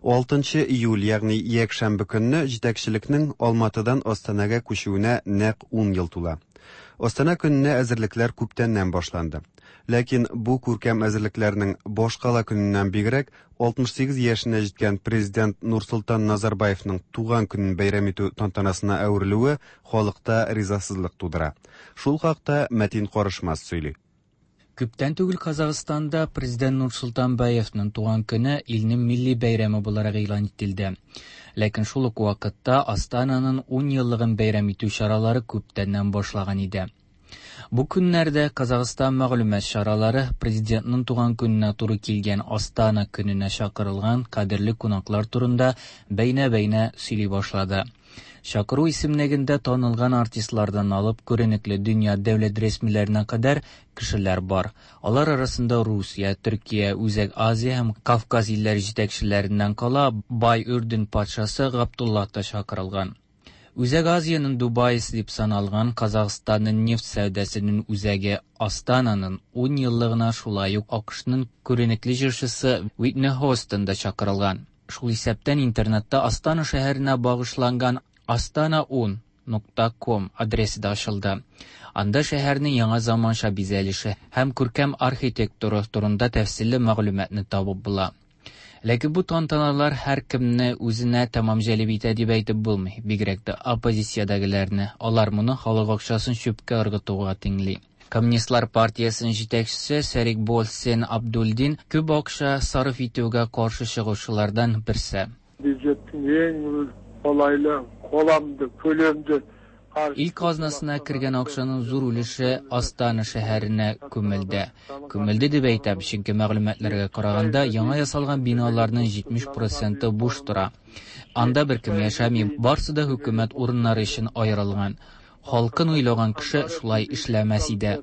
Алтынчы июль, ягъни якшәмбе көнне җитәкчелекнең Алматыдан Астанага күчүенә нәкъ ун ел тула. Астана көненә әзерлекләр күптәннән башланды. Ләкин бу күркәм әзерлекләрнең башкала көненнән бигрәк алтмыш сигез яшенә җиткән президент Нурсултан Назарбаевның туган көнен бәйрәм итү тантанасына әверелүе халыкта ризасызлык тудыра. Шул хакта Мәтин Карышмас сөйли. Күптән түгел Казахстанда президент Нурсултан Баевның туган көне илнең милли бәйрәме буларак игълан ителде. Ләкин шул ук вакытта Астананың ун еллыгын бәйрәм итү чаралары күптәннән башлаган иде. Бу көннәрдә Казахстан мәгълүмат чаралары президентның туган көненә туры килгән Астана көненә чакырылган кадерле кунаклар турында бәйнә-бәйнә сөйли башлады. Чакыру исемлегендә танылган артистлардан алып күренекле дөнья дәүләт рәсмиләренә кадәр кешеләр бар. Алар арасында Русия, Төркия, Үзәк Азия һәм Кавказ илләре җитәкчеләреннән кала Бай Үрдүн патшасы Габдулла та чакырылган. Үзәк Азиянең Дубайсы дип саналган Казахстанның нефть сәүдәсенең үзәге Астананың ун еллыгына шулай ук АКШның күренекле җырчысы Уитни Хьюстон да чакырылган. Шул исәптән интернетта Астана шәһәренә багышланган Астана ун нокта ком адресы да ачылды. Анда шәһәрнең яңа заманча бизәлеше һәм күркәм архитектура турында тәфсилле мәгълүматны табып була. Ләкин бу тантаналар һәр кемне үзенә тәмам җәлеп итә дип әйтеп булмый, бигрәк тә оппозициядәгеләрне. Алар моны халык акчасын чүпкә ыргытуга тиңли. Коммунистлар партиясенең җитәкчесе Серик Болсен Абдулдин күп акча сарыф итүгә каршы чыгучылардан берсе. Бюджеттің ең қолайлы, қоламды, көлемді Ил казнасына кергән акчаның зур өлеше Астана шәһәренә күмелде. Күмелде дип әйтәм, чөнки мәгълүматларга караганда яңа ясалган биналарның җитмеш проценты буш тора. Анда беркем яшәми, барсы да хөкүмәт урыннары өчен аерылган. Халкын уйлаган кеше шулай эшләмәс иде.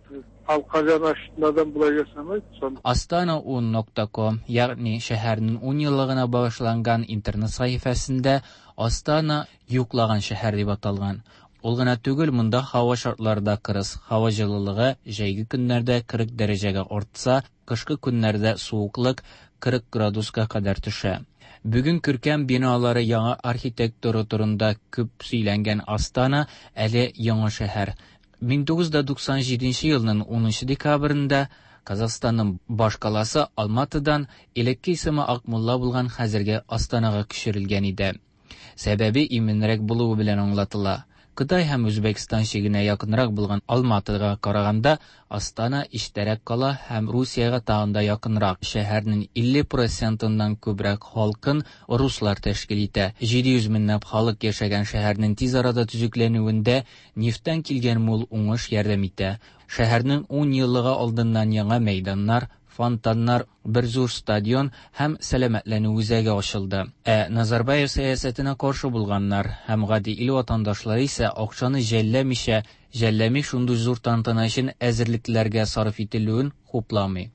Халыкка жанашатын адам булай ясамайды. Астана ун нокта ком, ягъни шәһәрнең ун еллыгына багышланган интернет сәхифәсендә Астана юклаган шәһәр дип аталган. Ул гына түгел, монда һава шартлары да кырыс. Һава җылылыгы җәйге көннәрдә кырык дәрәҗәгә артса, кышкы көннәрдә суыклык кырык градуска кадәр төшә. Бүген күркәм биналары яңа архитектура турында күп сөйләнгән Астана әле яңа шәһәр. Мең тугыз йөз туксан җиденче елның унынчы декабрендә Казахстанның башкаласы Алматыдан элекке исеме Акмулла булган хәзерге Астанага күчерелгән иде. Сәбәбе иминрәк булуы белән аңлатыла. Кытай һәм Үзбәкстан чигенә якынрак булган Алматыга караганда Астана иштәрәк кала һәм Русиягә тагын да якынрак. Шәһәрнең илле процентыннан күбрәк халкын руслар тәшкил итә. җиде йөз меңләп халык яшәгән шәһәрнең тиз арада төзекләнүендә нефтьтән килгән мул уңыш ярдәм итә. Шәһәрнең ун еллыгы алдыннан яңа мәйданнар, фонтаннар, бер зур стадион һәм сәламәтләнү үзәге ачылды. Ә Назарбаев сәясәтенә каршы булганнар һәм гади ил ватандашлары исә акчаны жәлләмичә, жәлләми шундый зур тантана өчен әзерлекләргә сарыф ителүен хупламый.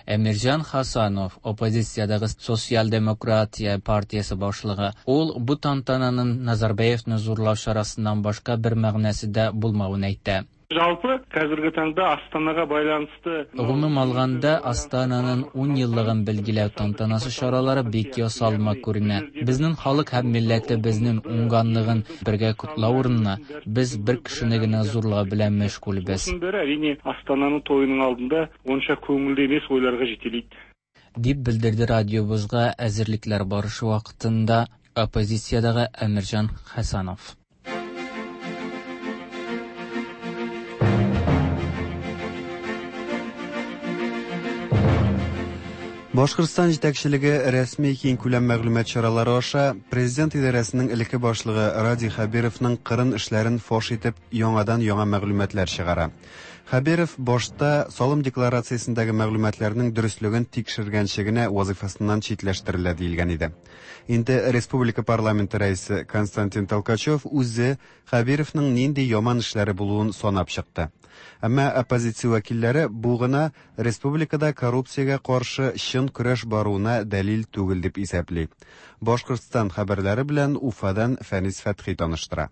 Әмирҗан Хасанов, оппозициядәге Социал-демократия партиясе башлыгы, ул бу тантананың Назарбаевны зурлау чарасыннан башка бер мәгънәсе дә булмавын әйтә. Жалпы қазіргі таңда Астанаға байланысты Гомум алганда Астананың ун еллыгын билгеләү тантанасы чаралары бик ясалма күренә. Безнең халык һәм милләтебезнең уңганлыгын бергә котлау урынына без бер кешене генә зурлау белән мәшгульбез. Осының бәрі әрине Астананың тойының алдында онша көңілді емес ойларға жетелейді. Дип белдерде радиобызга әзерлекләр барышы вакытында оппозициядәге Әмирҗан Хасанов. Башкортстан җитәкчелеге рәсми киңкүләм мәгълүмат чаралары аша президент идарәсенең элекке башлыгы Радий Хәбировның кырын эшләрен фаш итеп яңадан яңа мәгълүматлар чыгара. Хәбиров башта салым декларациясендәге мәгълүматларның дөреслеген тикшергәнче генә вазифасыннан читләштерелә диелгән иде. Инде республика парламенты рәисе Константин Толкачев үзе Хәбировның нинди яман эшләре булуын санап чыкты. Әмма оппозиция вәкилләре бу гына республикада коррупциягә каршы чын көрәш баруына дәлил түгел дип исәпли. Башкортстан хәбәрләре белән Уфадан Фәнис Фәтхи таныштыра.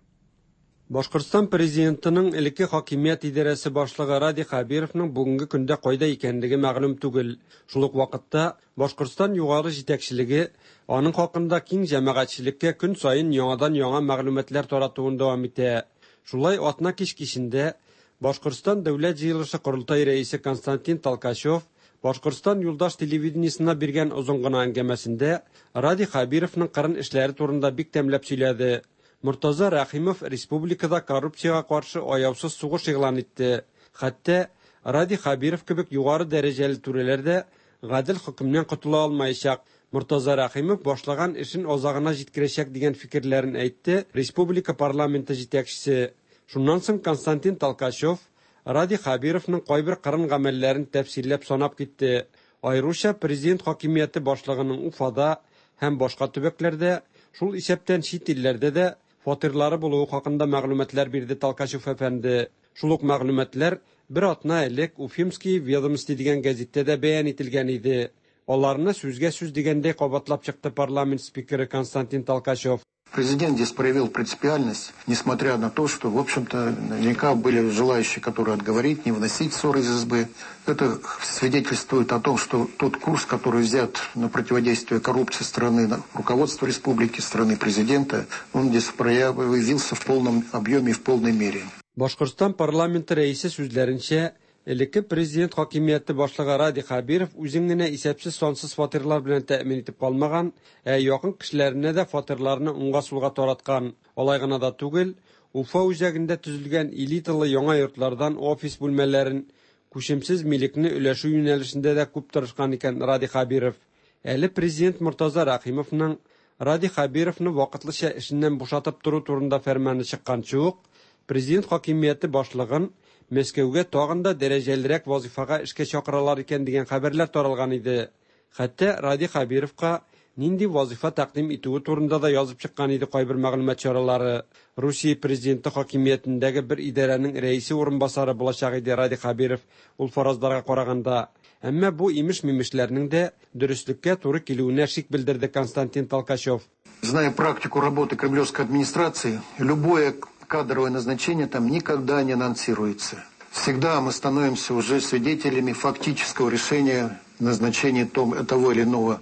Башкортстан президентының элекке хакимият идарәсе башлыгы Радий Хәбировның бүгенге көндә кайда икәнлеге мәгълүм түгел. Шул ук вакытта Башкортстан югары җитәкчелеге аның хакында киң җәмәгатьчелеккә көн саен яңадан яңа мәгълүматлар таратуын дәвам итә. Шулай атна кич кичендә Башкортстан Дәүләт җыелышы корылтай рәисе Константин Толкачев Башкортстан юлдаш телевидениесына биргән озын гына әңгәмәсендә Радий Хәбировның кырын эшләре турында бик тәмләп сөйләде. Мортаза Рәхимов республикада коррупциягә каршы аяусыз сугыш игълан итте. Хәтта Радий Хәбиров кебек югары дәрәҗәле түрәләр дә гадел хөкемнән котыла алмаячак. Мортаза Рәхимов башлаган эшен азагына җиткерәчәк дигән фикерләрен әйтте республика парламенты җитәкчесе. Шуннан соң Константин Толкачев Радий Хәбировның кайбер кырын гамәлләрен тәфсилләп санап китте. Аеруча президент хакимияте башлыгының Уфада һәм башка төбәкләрдә, шул исәптән чит илләрдә дә фатирлары булуы хакында мәгълүматлар бирде Толкачев әфәнде. Шул ук мәгълүматлар бер атна элек Уфимские ведомости дигән гәзиттә дә бәян ителгән иде. Аларны сүзгә сүз дигәндәй кабатлап чыкты парламент спикеры Константин Толкачев. Президент здесь проявил принципиальность, несмотря на то, что, в общем-то, наверняка были желающие, которые отговорить, не вносить ссоры из избы. Это свидетельствует о том, что тот курс, который взят на противодействие коррупции страны, руководства республики, страны президента, он здесь проявился в полном объеме и в полной мере. Башкортстан парламенты рәисе сүзләренчә, элекке президент хакимияте башлыгы Радий Хәбиров үзен генә исәпсез сансыз фатирлар белән тәэмин итеп калмаган, ә якын кешеләренә дә фатирларны уңга-сулга тараткан. Алай гына да түгел, Уфа үзәгендә төзелгән элиталы яңа йортлардан офис бүлмәләрен, күчемсез милекне өләшү юнәлешендә дә күп тырышкан икән Радий Хәбиров. Әле президент Мортаза Рәхимовның Радий Хәбировны вакытлыча эшеннән бушатып тору турында фәрманы чыкканчы ук, президент хакимияте башлыгын Мәскәүгә тагын да дәрәҗәлерәк вазифага эшкә чакыралар икән дигән хәбәрләр таралган иде. Хәтта Радий Хәбировка нинди вазифа тәкъдим итүе турында да язып чыккан иде кайбер мәгълүмат чаралары. Русия президенты хакимиятендәге бер идарәнең рәисе урынбасары булачак иде Радий Хәбиров ул фаразларга караганда. Әмма бу имеш-мимешләрнең дә дөреслеккә туры килүенә шик белдерде Константин Толкачев. Зная практику работы кремлевской администрации, любое кадровое назначение там никогда не анонсируется. Всегда мы становимся уже свидетелями фактического решения назначения того или иного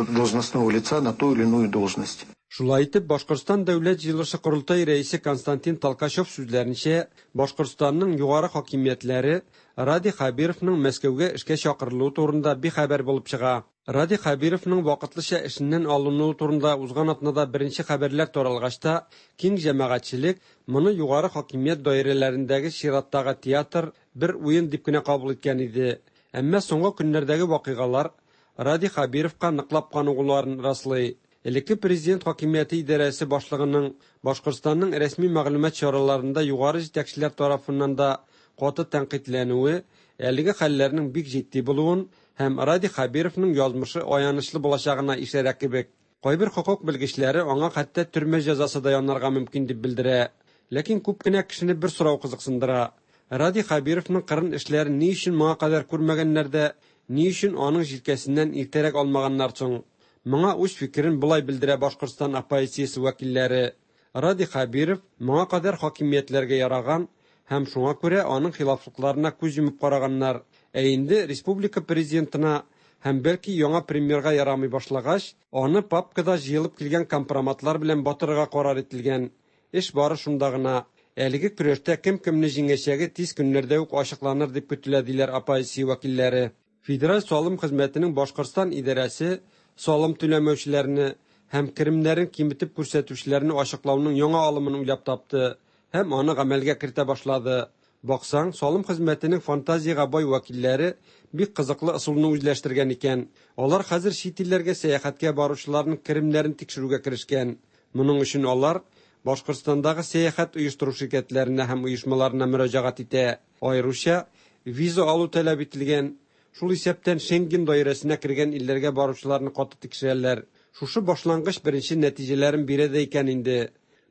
должностного лица на ту или иную должность. Шулай итеп, Башкортстан Дәүләт җыелышы корылтай рәисе Константин Толкачев сүзләренчә, Башкортстанның югары хакимиятләре Радий Хәбировның Мәскәүгә эшкә чакырылуы турында бихәбәр булып чыга. Радий Хәбировның вакытлыча эшеннән алынуы турында узган атнада беренче хәбәрләр таралгач та, киң җәмәгатьчелек моны югары хакимият даирәләрендәге чираттагы театр бер уен дип кенә кабул иткән иде. Әмма соңгы көннәрдәге вакыйгалар Радий Хәбировка ныклап каныгуларын раслый. Элекке президент хакимияте идарәсе башлыгының Башкортстанның рәсми мәгълүмат чараларында югары җитәкчеләр тарафыннан да каты тәнкыйтьләнүе әлеге хәлләрнең бик җитди булуын һәм Радий Хәбировның язмышы аянычлы булачагына ишарә кебек. Кайбер хокук белгечләре аңа хәтта төрмә җәзасы да янарга мөмкин дип белдерә. Ләкин күп кенә кешене бер сорау кызыксындыра. Радий Хәбировның кырын эшләрен ни өчен моңа кадәр күрмәгәннәр дә, ни өчен аның җилкәсеннән иртәрәк алмаганнар соң? Моңа үз фикерен болай белдерә Башкортстан оппозициясе вәкилләре. Радий Хәбиров моңа кадәр хакимиятләргә яраган һәм шуңа күрә аның хилафлыкларына күз йомып караганнар. Ә инде республика президентына һәм бәлки яңа премьерга ярамый башлагач, аны папкада җыелып килгән компроматлар белән батырырга карар ителгән. Эш бары шунда гына. Әлеге көрәштә кем кемне җиңәчәге тиз көннәрдә үк ачыкланыр дип көтелә, диләр оппозиция вәкилләре. Федераль салым хезмәтенең Башкортстан идарәсе салым түләмәүчеләрне һәм керемнәрен киметеп күрсәтүчеләрне ачыклауның яңа алымын уйлап тапты һәм аны гамәлгә кертә башлады. Баксаң, салым хезмәтенең фантазиягә бай вәкилләре бик кызыклы ысулны үзләштергән икән. Алар хәзер чит илләргә сәяхәткә баручыларның керемнәрен тикшерүгә керешкән. Моның өчен алар Башкортстандагы сәяхәт оештыру ширкәтләренә һәм оешмаларына мөрәҗәгать итә. Аеруча виза алу таләп ителгән, шул исәптән Шенген даирәсенә кергән илләргә баручыларны каты тикшерәләр. Шушы башлангыч беренче нәтиҗәләрен бирә дә икән инде.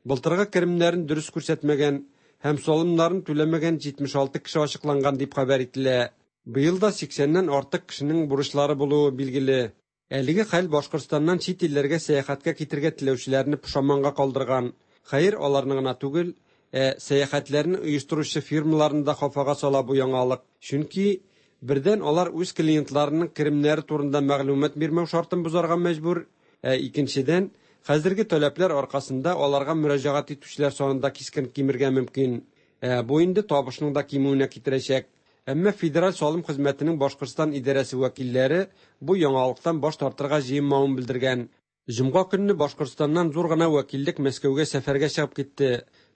Былтыргы керемнәрен дөрес күрсәтмәгән һәм салымнарын түләмәгән җитмеш алты кеше ачыкланган дип хәбәр ителә. Быел да сиксәннән артык кешенең бурычлары булуы билгеле. Әлеге хәл Башкортстаннан чит илләргә сәяхәткә китергә теләүчеләрне пошаманга калдырган. Хәер, аларны гына түгел, ә сәяхәтләрне оештыручы фирмаларны да хафага сала бу яңалык. Чөнки бердән алар үз клиентларының керемнәре турында мәгълүмат бирмәү шартын бозарга мәҗбүр, ә икенчедән, хәзерге таләпләр аркасында аларга мөрәҗәгать итүчеләр саны да кискен кимергә мөмкин. Ә бу инде табышның да кимүенә китерәчәк. Әмма Федераль салым хезмәтенең Башкортстан идарәсе вәкилләре бу яңалыктан баш тартырга җыенмавын белдергән. Җомга көнне Башкортстаннан зур гына вәкиллек Мәскәүгә сәфәргә чыгып китте.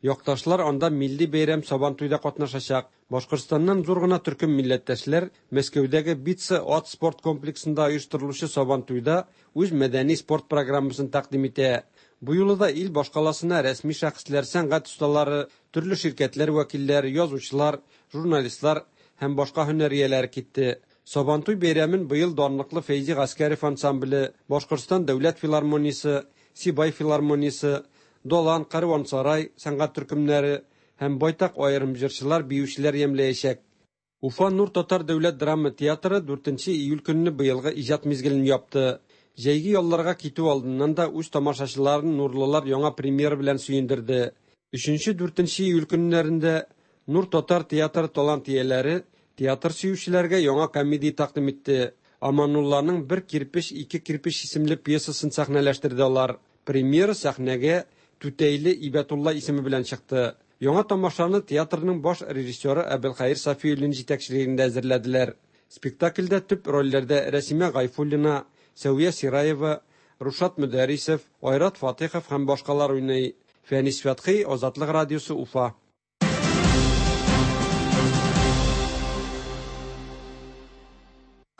Якташлар анда милли бәйрәм Сабантуйда катнашачак. Башкортстаннан зур гына төркем милләттәшләр Мәскәүдәге Битца ат спорт комплексында оештырылучы Сабантуйда үз мәдәни спорт программасын тәкъдим итә. Бу юлы да ил башкаласына рәсми шәхесләр, сәнгать осталары, төрле ширкәтләр вәкилләре, язучылар, журналистлар һәм башка һөнәр ияләре китте. Сабантуй бәйрәмен быел данлыклы Фәйзи Гаскәрев ансамбле, Башкортстан дәүләт филармониясе, Сибай филармониясе, Долан, Карвансарай сәнгать төркемнәре һәм байтак аерым җырчылар, биючеләр ямләячәк. Уфа Нур татар дәүләт драма театры дүртенче июль көнне быелгы иҗат мизгелен япты. Җәйге ялларга китү алдыннан да үз тамашачыларын нурлылар яңа премьера белән сөендерде. Өченче-дүртенче июль көннәрендә Нур татар театры талант ияләре театр сөючеләргә яңа комедия тәкъдим итте. Аманулланың «Бер кирпеч, ике кирпеч» исемле пьесасын сәхнәләштерде алар. Премьера сәхнәгә Түтәйле Ибәтулла исеме белән чыкты. Яңа тамашаны театрның баш режиссеры Әбелхәер Сафиуллин җитәкчелегендә әзерләделәр. Спектакльдә төп рольләрдә Рәсимә Гайфуллина, Сәвия Сираева, Рушат Мөдәрисов, Айрат Фатихов һәм башкалар уйный. Фәнис Фәтхи, Азатлык радиосы, Уфа.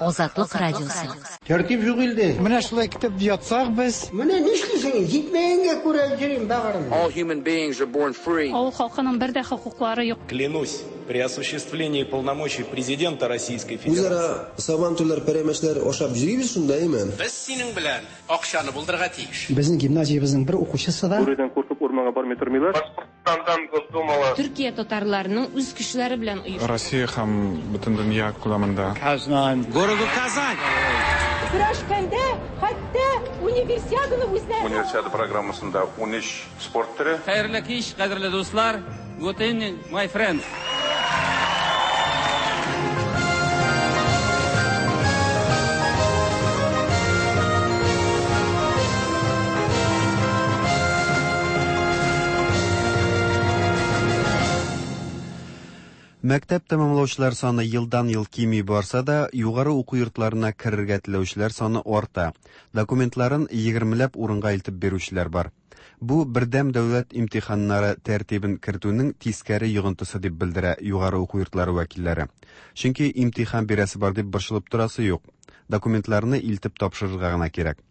Азатлык радиосы. Тәртип юк илдә. Менә шулай китеп ятсак без. Менә нишлисең? Җитмәгәнгә күрә йөрим бәгырем. All human beings are born free. Авыл халкының бер дә хокуклары юк. Клянусь, при осуществлении полномочий президента Российской Федерации. Үзара сабантуйлар, пәрәмәчләр ашап йөрибез шунда, әйме? Без синең белән акчаны булдырырга тиеш. Безнең гимназиябезнең бер укучысы да Бүредән куркып урманга бармый тормыйлар. Башкортстандан Госдумала. Төркия татарларының үз көчләре белән оештырды. Россия һәм бөтен дөнья күләмендә. Казан. Городу Казань. Көрәшкәндә хәтта универсиаданы үзләре. Универсиада программасында ун өч спорт төре. Хәерле кич, кадерле дуслар. Good evening, my friends. Мәктәп тәмамлаучылар саны елдан-ел кими барса да, югары уку йортларына керергә теләүчеләр саны арта. Документларын егермеләп урынга илтеп бирүчеләр бар. Бу бердәм дәүләт имтиханнары тәртибен кертүнең тискәре йогынтысы дип белдерә югары уку йортлары вәкилләре. Чөнки имтихан бирәсе бар дип борчылып торасы юк. Документларны илтеп тапшырырга гына кирәк.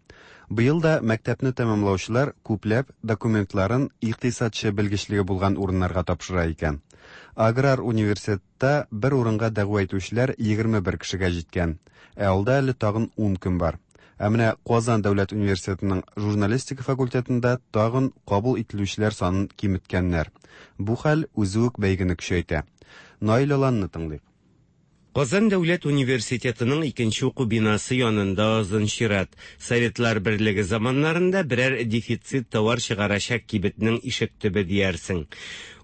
Быел да мәктәпне тәмамлаучылар күпләп документларын икътисадчы белгечлеге булган урыннарга тапшыра икән. Аграр университетта бер урынга дәгъва итүчеләр егерме бер кешегә җиткән. Ә алда әле тагын ун көн бар. Ә менә Казан дәүләт университетының журналистика факультетында тагын кабул ителүчеләр санын киметкәннәр. Бу хәл үзе үк бәйгене көчәйтә. Наил Аланны тыңлыйк. Казан дәүләт университетының икенче уку бинасы янында озын чират. Советлар берлеге заманнарында берәр дефицит товар чыгарачак кибетнең ишек төбе диярсең.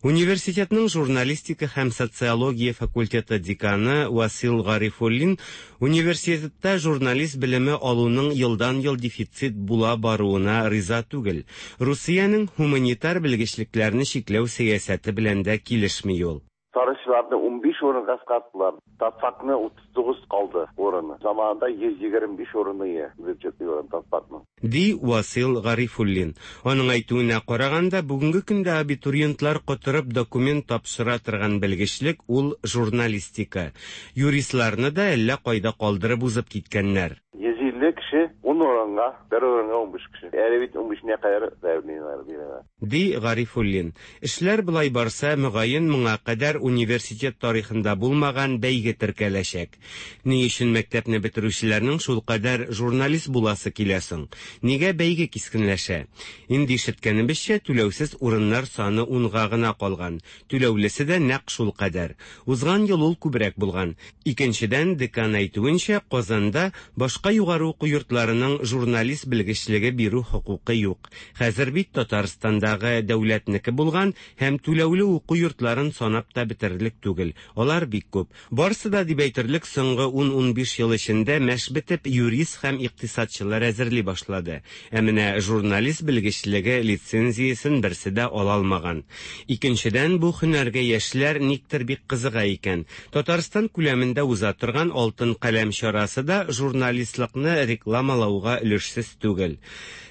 Университетның журналистика һәм социология факультеты деканы Васил Гарифуллин университетта журналист белеме алуның елдан-ел дефицит була баруына риза түгел. Русиянең гуманитар белгечлекләрне чикләү сәясәте белән дә килешми ул. Тарихчыларны ун биш урынга кыскарттылар. Татфакны утыз тугыз калды урыны. Заманында йөз егерме биш урыны ие бюджетлы урын Татфакның. Ди Васил Гарифуллин. Аның әйтүенә караганда, бүгенге көндә абитуриентлар котырып документ тапшыра торган белгечлек ул журналистика. Юристларны да әллә кайда калдырып узып киткәннәр. Йөз илле кеше ун урынга, бер урынга ун биш кеше. Әле бит ун бишенә кадәр заявлениеләр бирәләр. Ди Гарифуллин. Эшләр болай барса, мөгаен моңа кадәр университет тарихында булмаган бәйге теркәләчәк. Ни өчен мәктәпне бетерүчеләрнең шулкадәр журналист буласы килә соң? Нигә бәйге кискенләшә? Инде ишеткәнебезчә, түләүсез урыннар саны унга гына калган. Түләүлесе дә нәкъ шулкадәр. Узган ел ул күбрәк булган. Икенчедән, декан әйтүенчә, Казанда башка югары уку йортларының журналист белгечлеге бирү хокукы юк. Хәзер бит Татарстандагы дәүләтнеке булган һәм түләүле уку йортларын санап та бетерерлек түгел. Алар бик күп. Барсы да дип әйтерлек соңгы ун-ун биш ел эчендә мәш бетеп юрист һәм икътисадчылар әзерли башлады. Ә менә журналист белгечлеге лицензиясен берсе дә ала алмаган. Икенчедән, бу һөнәргә яшьләр никтер бик кызыга икән. Татарстан күләмендә уза торган Алтын каләм чарасы да журналистлыкны рекламалауга өлешсез түгел.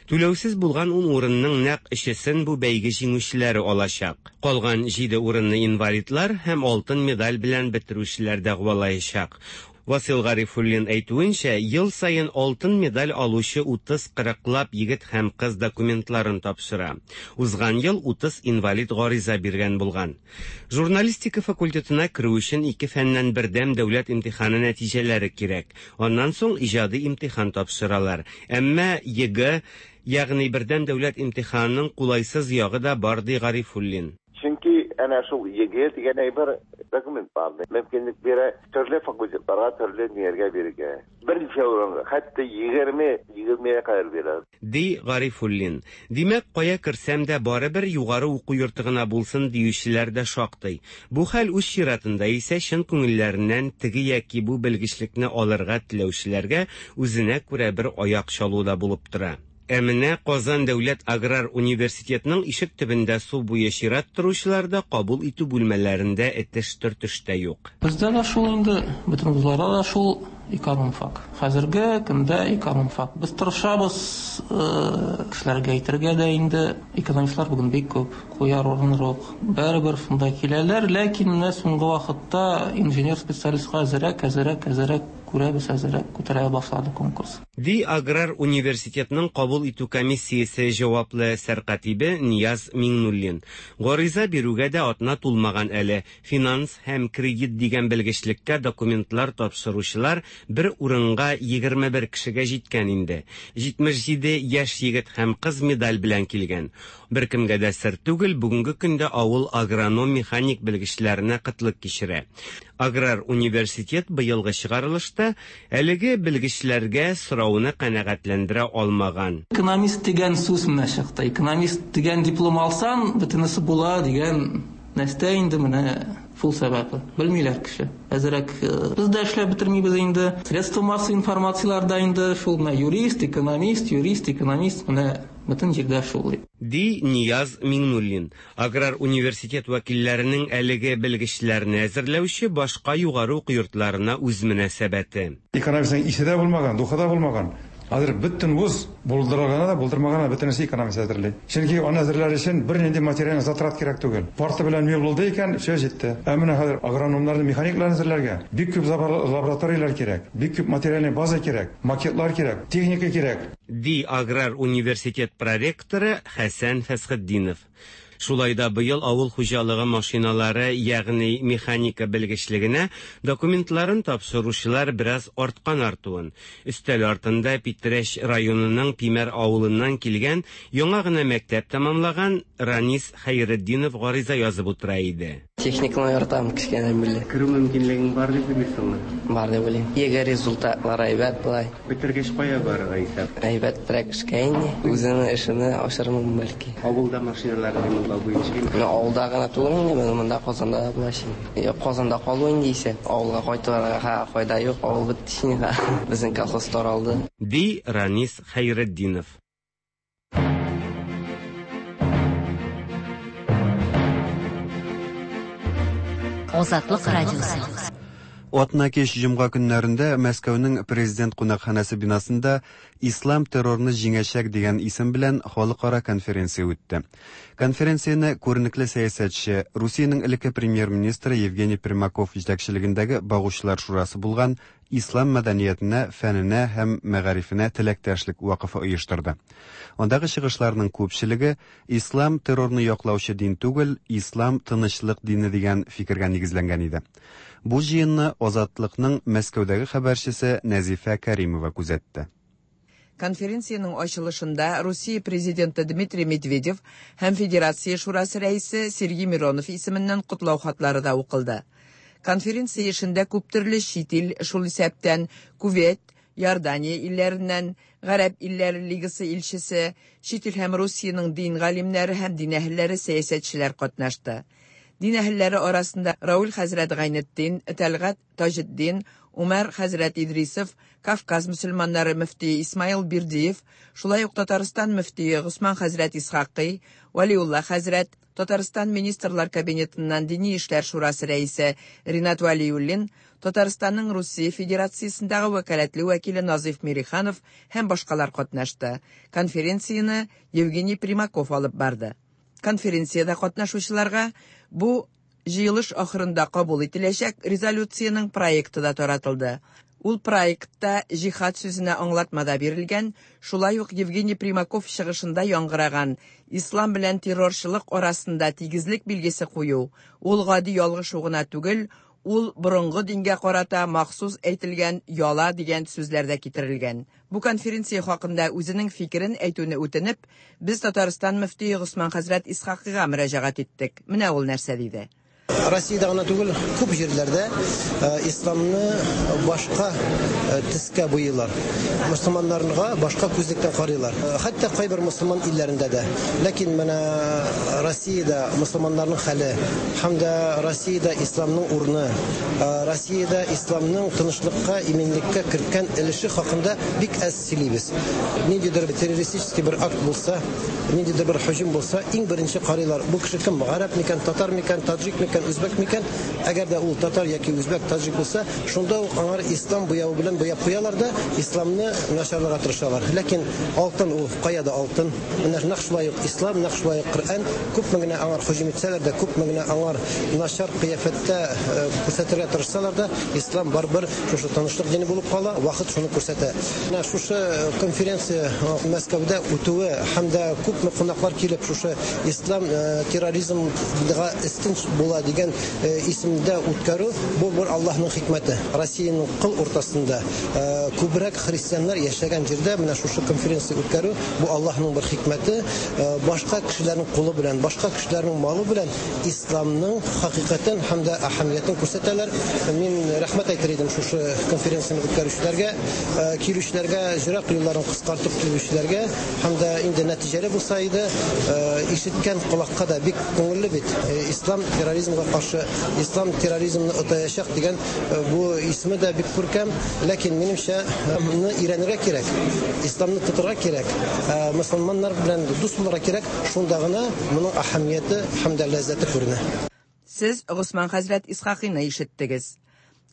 Түләүсез булган ун урынның нәкъ өчесен бу бәйге җиңүчеләре алачак. Калган җиде урынны инвалидлар һәм алтын медаль белән бетерүчеләр дәгъвалаячак. Васил Гарифуллин әйтүенчә, ел саен алтын медаль алучы утыз кырыклап егет һәм кыз документларын тапшыра. Узган ел утыз инвалид гариза биргән булган. Журналистика факультетына керү өчен ике фәннән бердәм дәүләт имтиханы нәтиҗәләре кирәк. Аннан соң иҗади имтихан тапшыралар. Әмма ЕГЭ, ягъни бердәм дәүләт имтиханының кулайсыз ягы да бар, ди Гарифуллин. Чөнки әнә шул ЕГЭ дигән әйбер документ бар. Мөмкинлек бирә төрле факультетларга, төрле нигәргә бирергә. Берничә урынга, хәтта егерме, егермегә кадәр бирә. Ди Гарифуллин. Димәк, кая керсәм дә барыбер югары уку йорты гына булсын диючеләр дә шактый. Бу хәл үз чиратында исә чын күңелләреннән теге яки бу белгечлекне алырга теләүчеләргә үзенә күрә бер аяк чалу да булып тора. Ә менә Казан дәүләт аграр университетының ишек төбендә су буе чират торучылар да кабул итү бүлмәләрендә этеш-төртеш тә юк. Бездә дә шул инде, бөтен вузларда да шул экономфак. Хәзерге көндә экономфак. Без тырышабыз кешеләргә әйтергә дә инде, экономистлар бүген бик күп, куяр урын юк. Барыбер шунда киләләр, ләкин менә соңгы вакытта инженер специалистка әзерәк, әзерәк, әзерәк күрәбез, әзерәк күтәрә башлады конкурс. Ди аграр университетның кабул итү комиссиясе җаваплы сәркатибе Нияз Миңнуллин. Гариза бирүгә дә атна тулмаган әле. Финанс һәм кредит дигән белгечлеккә документлар тапшыручылар бер урынга егерме бер кешегә җиткән инде. Җитмеш җиде яшь егет һәм кыз медаль белән килгән. Беркемгә дә сер түгел, бүгенге көндә авыл агроном-механик белгечләренә кытлык кичерә. Аграр университет быелгы чыгарылышта әлеге белгечләргә сорауны канәгатьләндерә алмаган. Экономист дигән сүз менә чыкты. Экономист дигән диплом алсаң, бөтенесе була дигән нәрсә инде менә шул сәбәпле. Белмиләр кеше. Әзерәк без дә эшләп бетермибез инде. Средства массовой информацияләрдә инде шул менә юрист, экономист, юрист, экономист менә Бөтен җирдә шул. Ди Нияз Миңнуллин. Аграр университет вәкилләренең әлеге белгечләрне әзерләүче башка югары уку йортларына үз мөнәсәбәте. Экономистның исе дә булмаган, духы да булмаган. Хәзер бөтен вуз булдырганы да, булдырмаганы да бөтенесе экономист әзерли. Чөнки аны әзерләр өчен бернинди материаль затрат кирәк түгел. Парта белән мебель булды икән, все җитте. Ә менә хәзер агрономнарны, механикларны әзерләргә бик күп лабораторияләр кирәк, бик күп материальный база кирәк, макетлар кирәк, техника кирәк. Ди Аграр университет проректоры Хәсән Фәсхетдинов. Шулай да быел авыл хуҗалыгы машиналары, ягъни механика белгечлегенә документларын тапшыручылар бераз арткан артуын. Өстәл артында Питрәч районының Пимәр авылыннан килгән, яңа гына мәктәп тәмамлаган Ранис Хәйретдинов гариза язып утыра иде. Техниканы яратам кечкенәдән бирле. Керү мөмкинлегең бар дип уйлыйсыңмы? Бар дип уйлыйм. ЕГЭ результатлары әйбәт болай. Бетергәч кая барырга исәп? Әйбәтрәк эшкә инде. Үземнең эшемне ачармын бәлки. Авылда машиналарны ремонтлау буенча. Менә авылда гына түгел инде, менә монда Казанда да була инде. Казанда калу инде исә, авылга кайтырга файда юк, авыл бетте инде. Безнең колхоз таралды. Ди Ранис Хәйретдинов. Азатлык радиосы. Атна кич җомга көннәрендә Мәскәүнең президент кунакханәсе бинасында Ислам террорны җиңәчәк дигән исем белән халыкара конференция үтте. Конференцияне күренекле сәясәтче, Русиянең элекке премьер-министры Евгений Примаков җитәкчелегендәге Багучылар шурасы булган Ислам мәдәниятенә, фәненә һәм мәгарифенә теләктәшлек вакыфы оештырды. Андагы чыгышларның күпчелеге Ислам террорны яклаучы дин түгел, Ислам тынычлык дине дигән фикергә нигезләнгән иде. Бу җыенны Азатлыкның Мәскәүдәге хәбәрчесе Нәзифә Кәримова күзәтте. Конференциянең ачылышында Русия президенты Дмитрий Медведев һәм Федерация шурасы рәисе Сергей Миронов исеменнән котлау хатлары да укылды. Конференция эшендә күп төрле чит ил, шул исәптән Кувейт, Иордания илләреннән, Гарәп илләре лигасы илчесе, чит ил һәм Русиянең дин галимнәре һәм дин әһелләре, сәясәтчеләр катнашты. Дин әһелләре арасында Рауль хәзрәт Гайнетдин, Тәлгать Таҗетдин, Умар хәзрәт Идрисов, Кавказ мөселманнары мөфтие Исмаил Бирдиев, шулай ук Татарстан мөфтие Госман хәзрәт Исхакый, Валиулла хәзрәт, Татарстан Министрлар Кабинетыннан Дини эшләр шурасы рәисе Ринат Валиуллин, Татарстанның Русия Федерациясендәге вәкаләтле вәкиле Назиф Мириханов һәм башкалар катнашты. Конференцияне Евгений Примаков алып барды. Конференциядә катнашучыларга бу җыелыш ахырында кабул ителәчәк резолюциянең проекты да таратылды. Ул проектта җихад сүзенә аңлатма да бирелгән, шулай ук Евгений Примаков чыгышында яңгыраган ислам белән террорчылык арасында тигезлек билгесе кую, ул гади ялгышу гына түгел, ул борынгы дингә карата махсус әйтелгән яла дигән сүзләр дә китерелгән. Бу конференция хакында үзенең фикерен әйтүне үтенеп, без Татарстан мөфтие Госман хәзрәт Исхакыйга мөрәҗәгать иттек. Менә ул нәрсә диде. Россиядә гына түгел, күп җирләрдә исламны башка төскә буйыйлар. Мөселманнарга башка күзлектән карыйлар. Хәтта кайбер мөселман илләрендә дә. Ләкин менә Россиядә мөселманнарның хәле һәм дә Россиядә исламның урыны, Россиядә исламның тынычлыкка, иминлеккә керткән өлеше хакында бик әз сөйлибез. Ниндидер террористический бер акт булса, ниндидер бер һөҗүм булса, иң беренче карыйлар. Бу кеше кем? Гарәп микән, татар микән, таҗик микән, үзбәк микән? Әгәр дә ул татар яки үзбәк, таҗик булса, шунда ук аңар ислам буявы белән буяп куялар да, исламны начарларга тырышалар. Ләкин алтын ул кая да алтын. Менә нәкъ шулай ук ислам, нәкъ шулай ук Коръән күпме генә аңар һөҗүм итсәләр дә, күпме генә аңар начар кыяфәттә күрсәтергә тырышсалар да, ислам барыбер шушы тынычлык дине булып кала, вакыт шуны күрсәтә. Менә шушы конференция Мәскәүдә үтүе һәм дә күпме кунаклар килеп шушы ислам терроризмга өстен була дигән исемдә үткәрү, бу бер Аллаһның хикмәте. Россиянең кыл уртасында күбрәк христианнар яшәгән җирдә менә шушы конференция үткәрү, бу Аллаһның бер хикмәте. Башка кешеләрнең кулы белән, башка кешеләрнең малы белән исламның хакыйкатен һәм дә әһәмиятен күрсәтәләр. Мин рәхмәт әйтер идем шушы конференцияне үткәрүчеләргә, килүчеләргә, җырак юлларын кыскартып килүчеләргә һәм дә инде нәтиҗәле булса иде, ишеткән колакка да бик күңелле бит. Ислам терроризм терроризмга каршы, ислам терроризмны отаячак дигән бу исеме дә бик күркәм, ләкин минемчә моны өйрәнергә кирәк, исламны тотырга кирәк, мөселманнар белән дус булырга кирәк, шунда гына моның әһәмияте һәм дә ләззәте күренә. Сез Госман хәзрәт Исхакыйны ишеттегез.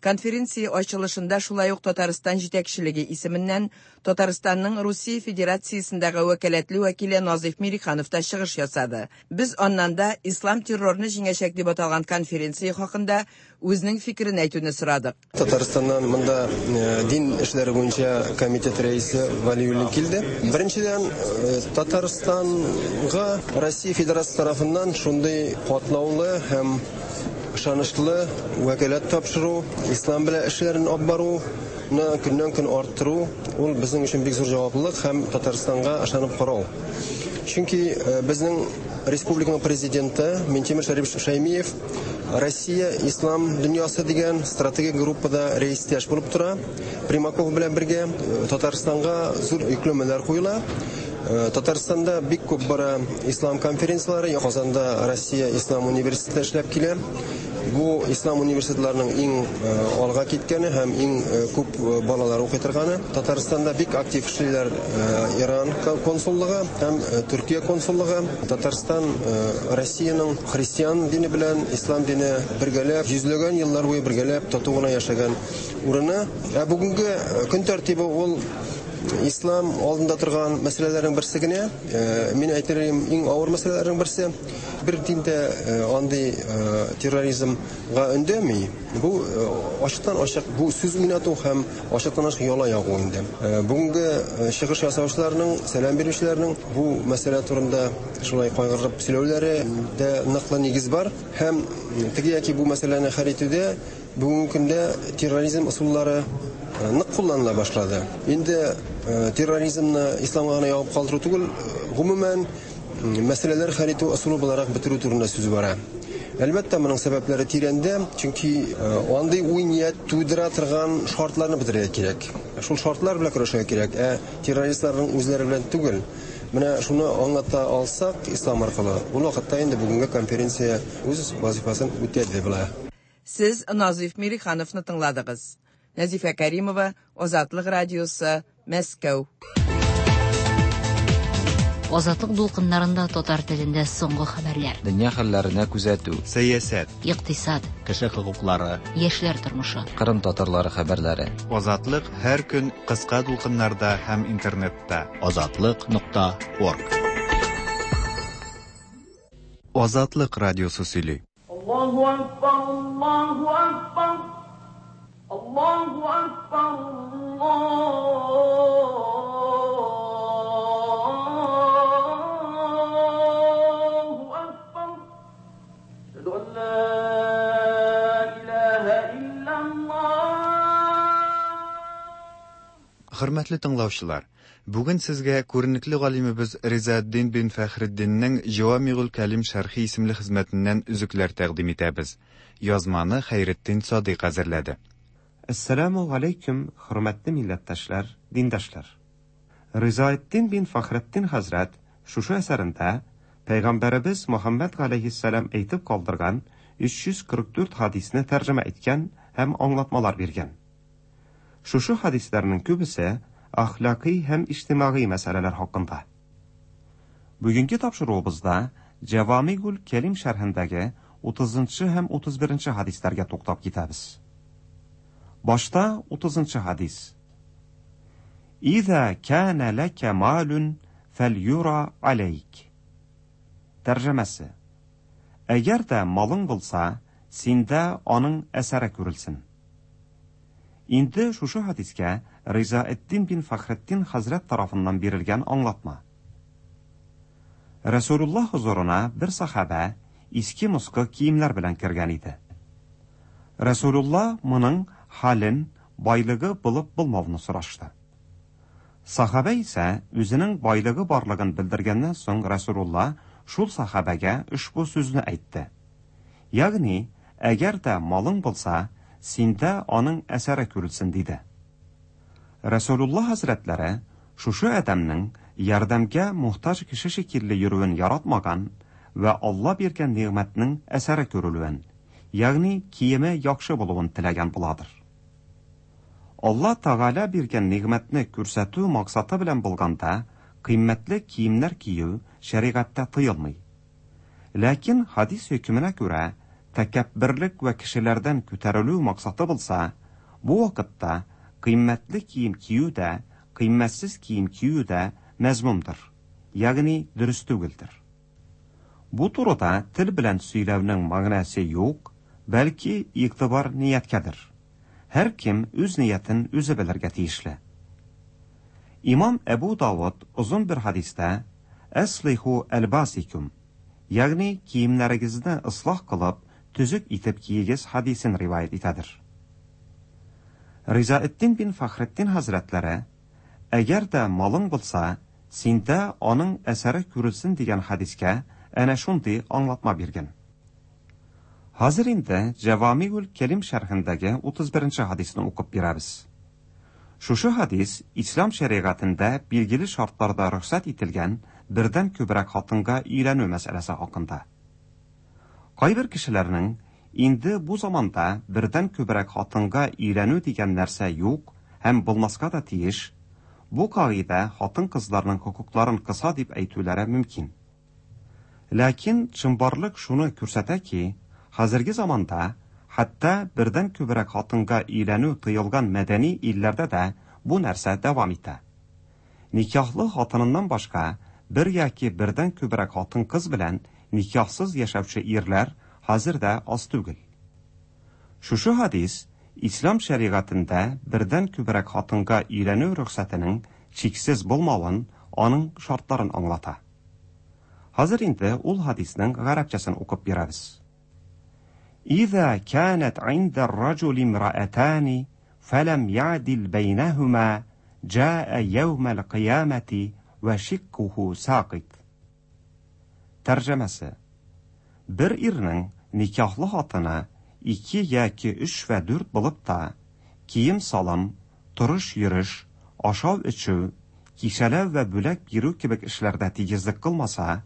Конференция ачылышында шулай ук Татарстан җитәкчелеге исеменнән Татарстанның Русия Федерациясендәге вәкаләтле вәкиле Назиф Мириханов та чыгыш ясады. Без аннан да ислам террорны җиңәчәк дип аталган конференция хакында үзенең фикерен әйтүне сорадык. Татарстаннан монда дин эшләре буенча комитет рәисе Валиуллин килде. Беренчедән, Татарстанга Россия Федерациясе тарафыннан шундый катлаулы һәм ышанычлы вәкаләт тапшыру, ислам белән эшләрен алып баруны көннән-көн арттыру, ул безнең өчен бик зур җаваплылык һәм Татарстанга ышанып карау. Чөнки безнең республиканың президенты Минтимер Шәрипович Шәймиев Россия ислам дөньясы дигән стратегик группада рәистәш булып тора. Примаков белән бергә Татарстанга зур йөкләмәләр куела. Татарстанда бик күп бара ислам конференцияләре, Казанда Россия Ислам университеты эшләп килә. Бу ислам университетларының иң алга киткәне һәм иң күп балалар укый торганы. Татарстанда бик актив эшлиләр Иран консуллыгы һәм Төркия консуллыгы. Татарстан Россиянең христиан дине белән ислам дине бергәләп йөзләгән еллар буе бергәләп тату гына яшәгән урыны. Ә бүгенге көн тәртибе ул ислам алдында торган мәсьәләләрнең берсе генә. Мин әйтер идем, иң авыр мәсьәләләрнең берсе. Бер диндә андый терроризмга өндәми. Бу ачыктан-ачык бу сүз уйнату һәм ачыктан-ачык яла ягу инде. Бүгенге чыгыш ясаучыларның, сәлам бирүчеләрнең бу мәсьәлә турында шулай кайгырып сөйләүләре дә ныклы нигез бар. Һәм теге яки бу мәсьәләне хәл итүдә бүгенге көндә терроризм ысуллары нык кулланыла башлады. Инде терроризмны исламга гына ягып калдыру түгел, гомумән мәсьәләләр хәл итү ысулы буларак бетерү турында сүз бара. Әлбәттә, моның сәбәпләре тирәндә, чөнки андый уй-ният тудыра торган шартларны бетерергә кирәк. Шул шартлар белән көрәшергә кирәк, ә террористларның үзләре белән түгел. Менә шуны аңлата алсак ислам аркылы, ул вакытта инде бүгенге конференция үз вазифасын үтәде була. Сез Назиф Мирихановны тыңладыгыз. Нәзифә Кәримова, Азатлык радиосы, Мәскәү. Азатлык дулкыннарында татар телендә соңгы хәбәрләр. Дөнья хәлләренә күзәтү. Сәясәт. Икътисад. Кеше хокуклары. Яшьләр тормышы. Кырым татарлары хәбәрләре. Азатлык һәр көн кыска дулкыннарда һәм интернетта. Азатлык нокта орг. Азатлык радиосы сөйли. Аллаһу акбар, Аллаһу акбар. Аллаһу акбар, Аллаһу акбар. Әшһәду ан ла илаһа иллаллаһ. Хөрмәтле тыңлаучылар, бүген сезгә күренекле галимебез Ризаэддин бин Фәхретдиннең Җавамигул Кәлим шәрхи исемле хезмәтеннән өзекләр тәкъдим итәбез. Язманы Хәйретдин Садыйк әзерләде. Әссәламу алейкум, хөрмәтле милләттәшләр, диндашлар. Ризаэддин бин Фәхретдин хәзрәт шушы әсәрендә Пәйгамбәребез Мөхәммәд галәйһиссәлам әйтеп калдырган өч йөз кырык дүрт хадисне тәрҗемә иткән һәм аңлатмалар биргән. Шушы хадисләрнең күбесе әхлакый һәм иҗтимагый мәсьәләләр хакында. Бүгенге тапшыруыбызда Җавамигул Кәлим шәрхендәге утызынчы һәм утыз беренче хадисләргә туктап китәбез. Башта утызынчы хадис. Иза кана лака малун фәлюра алейк. Тәрҗемәсе. Әгәр дә малың булса, синдә аның әсәре күрелсен. Инде шушы хадискә Ризаэддин бин Фәхретдин хәзрәт тарафыннан бирелгән аңлатма. Расулуллаһ хузурына бер сахаба иске москы киемнәр белән кергән иде. Расулуллаһ моның хален, байлыгы булып булмавын сорашты. Сахаба исә үзенең байлыгы барлыгын белдергәннән соң Расулуллаһ шул сахабәгә ошбу сүзне әйтте. Ягъни, әгәр дә малың булса, синдә аның әсәре күрелсен диде. Расулуллаһ хәзрәтләре шушы адәмнең ярдәмгә мохтаҗ кеше шикелле йөрүен яратмаган вә Алла биргән нигъмәтнең әсәре күрелүен, ягъни киеме яхшы булуын теләгән буладыр. Алла Тәгалә биргән нигъмәтне күрсәтү максаты белән булганда, кыйммәтле киемнәр кию шәригатьтә тыелмый. Ләкин хадис хөкеменә күрә, тәкәбберлек вә кешеләрдән күтәрелү максаты булса, бу вакытта кыйммәтле кием кию дә, кыйммәтсез кием кию дә мәзмумдыр, ягъни дөрес түгелдер. Бу турыда тел белән сөйләүнең мәгънәсе юк, бәлки игътибар нияткәдер. Һәр кем үз ниятен үзе белергә тиешле. Имам Әбу Давыд озын бер хадистә «Әслиху әлбасикум», ягъни киемнәрегезне ислах кылып, төзек итеп киегез хадисен риваять итәдер. Ризаэддин бин Фәхретдин хәзрәтләре, әгәр дә малың булса, синдә аның әсәре күрелсен дигән хадискә әнә шундый аңлатма биргән. Хәзер инде Җәвамигул Кәлим шәрхендәге утыз беренче хадисны укып бирәбез. Шушы хадис ислам шәригатендә билгеле шартларда рөхсәт ителгән бердән күбрәк хатынга өйләнү мәсьәләсе хакында. Кайбер кешеләрнең инде бу заманда бердән күбрәк хатынга өйләнү дигән нәрсә юк һәм булмаска да тиеш, бу кагыйдә хатын-кызларның хокукларын кыса дип әйтүләре мөмкин. Ләкин чынбарлык шуны күрсәтә ки, хәзерге заманда хәтта бердән күбрәк хатынга өйләнү тыелган мәдәни илләрдә дә бу нәрсә дәвам итә. Никахлы хатыныннан башка бер яки бердән күбрәк хатын-кыз белән никахсыз яшәүче ирләр хәзер дә аз түгел. Шушы хадис ислам шәригатендә бердән күбрәк хатынга өйләнү рөхсәтенең чиксез булмавын, аның шартларын аңлата. Хәзер инде ул хадисның гарәпчәсен укып бирәбез. إذا كانت عند الرجل امرأتان فلم يعدل بينهما جاء يوم القيامة وشقه ساقط. Тәрҗемәсе: бер ирнең никахлы хатыны ике яки өч вә дүрт булып та, кием-салым, торыш-йөреш, ашау-эчү, кичәләү вә бүләк бирү кебек эшләрдә тигезлек кылмаса,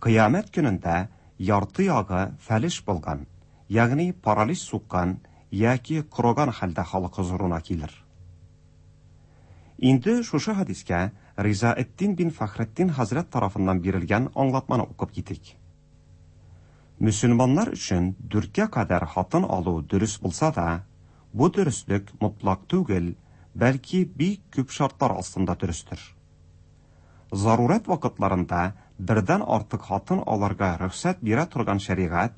кыямәт көнендә ярты ягы фәлеш булган, ягъни паралич суккан яки корыган хәлдә халык хозурына килер. Инде шушы хадискә Ризаэддин бин Фәхретдин хәзрәт тарафыннан бирелгән аңлатманы укып китик. Мөселманнар өчен дүрткә кадәр хатын алу дөрес булса да, бу дөреслек мотлак түгел, бәлки бик күп шартлар астында дөрестер. Зарурәт вакытларында бердән артык хатын алырга рөхсәт бирә торган шәригать,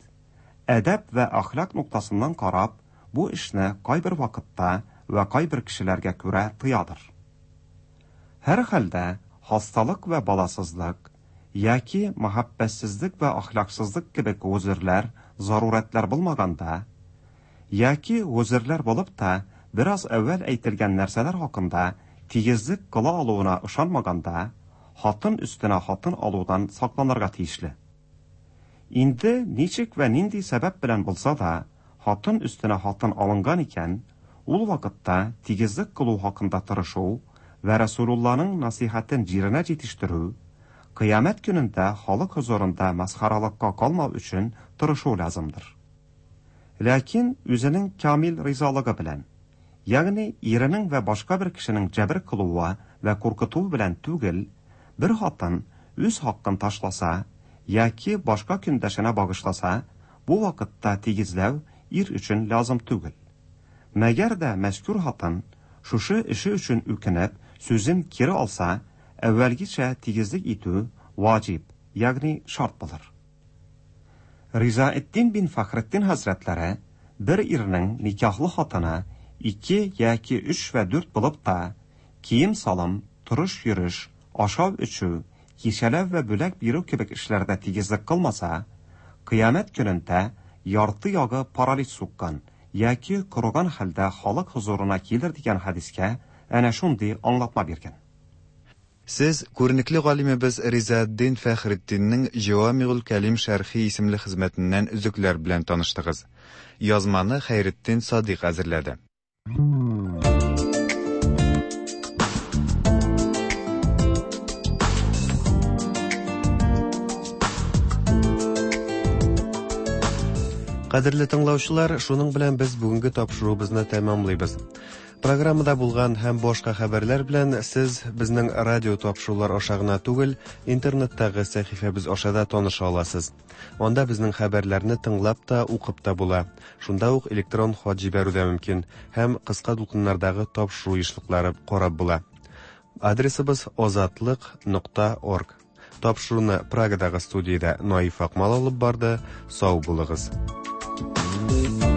әдәп вә әхлак ноктасыннан карап, бу эшне кайбер вакытта вә кайбер кешеләргә күрә тыядыр. Һәр хәлдә хасталык вә баласызлык яки мәхәббәтсезлек вә әхлаксызлык кебек гозерләр, зарурәтләр булмаганда, яки гозерләр булып та бераз әүвәл әйтелгән нәрсәләр хакында тигезлек кыла алуына ышанмаганда, хатын өстенә хатын алудан сакланырга тиешле. Инде ничек вә нинди сәбәп белән булса да, хатын өстенә хатын алынган икән, ул вакытта тигезлек кылу хакында тырышу вә Расулулланың насихатын җиренә җитештерү, кыямәт көнендә халык хозурында масхаралыкка калмау өчен тырышу лазымдыр. Ләкин үзенең камил ризалыгы белән, ягъни иренең вә башка бер кешенең җәбер кылуы вә куркытуы белән түгел, бер хатын үз хакын ташласа яки башка көндәшенә багышласа, бу вакытта тигезләү ир өчен лазым түгел. Мәгәр дә мәзкур хатын шушы эше өчен үкенеп, сүзен кире алса, әүвәлгечә тигезлек итү ваҗиб, ягъни шарт булыр. Ризаэддин бин Фәхретдин хәзрәтләре бер ирнең никахлы хатыны ике яки өч вә дүрт булып та, кием-салым, торыш-йөреш, ашау-эчү, кичәләү вә бүләк бирү кебек эшләрдә тигезлек кылмаса, кыямәт көнендә ярты ягы паралич суккан яки корыган хәлдә халык хозурына килер дигән хадискә әнә шундый аңлатма биргән. Сез күренекле галимебез Ризаэддин Фәхретдиннең Җәвамигул Кәлим шәрхи исемле хезмәтеннән өзекләр белән таныштыгыз. Язманы Хәйретдин Садыйк әзерләде. Кадерле тыңлаучылар, шуның белән без бүгенге тапшыруыбызны тәмамлыйбыз. Программада булган һәм башка хәбәрләр белән сез безнең радио тапшырулар аша гына түгел, интернеттагы сәхифәбез аша да таныша аласыз. Анда безнең хәбәрләрне тыңлап та, укып та була. Шунда ук электрон хат җибәрү дә мөмкин һәм кыска дулкыннардагы тапшыру ешлыклары карап була. Адресыбыз озатлык нокта орг. Тапшыруны Прагадагы студиядә Наиф Акмал алып барды. Сау булыгыз. Thank you.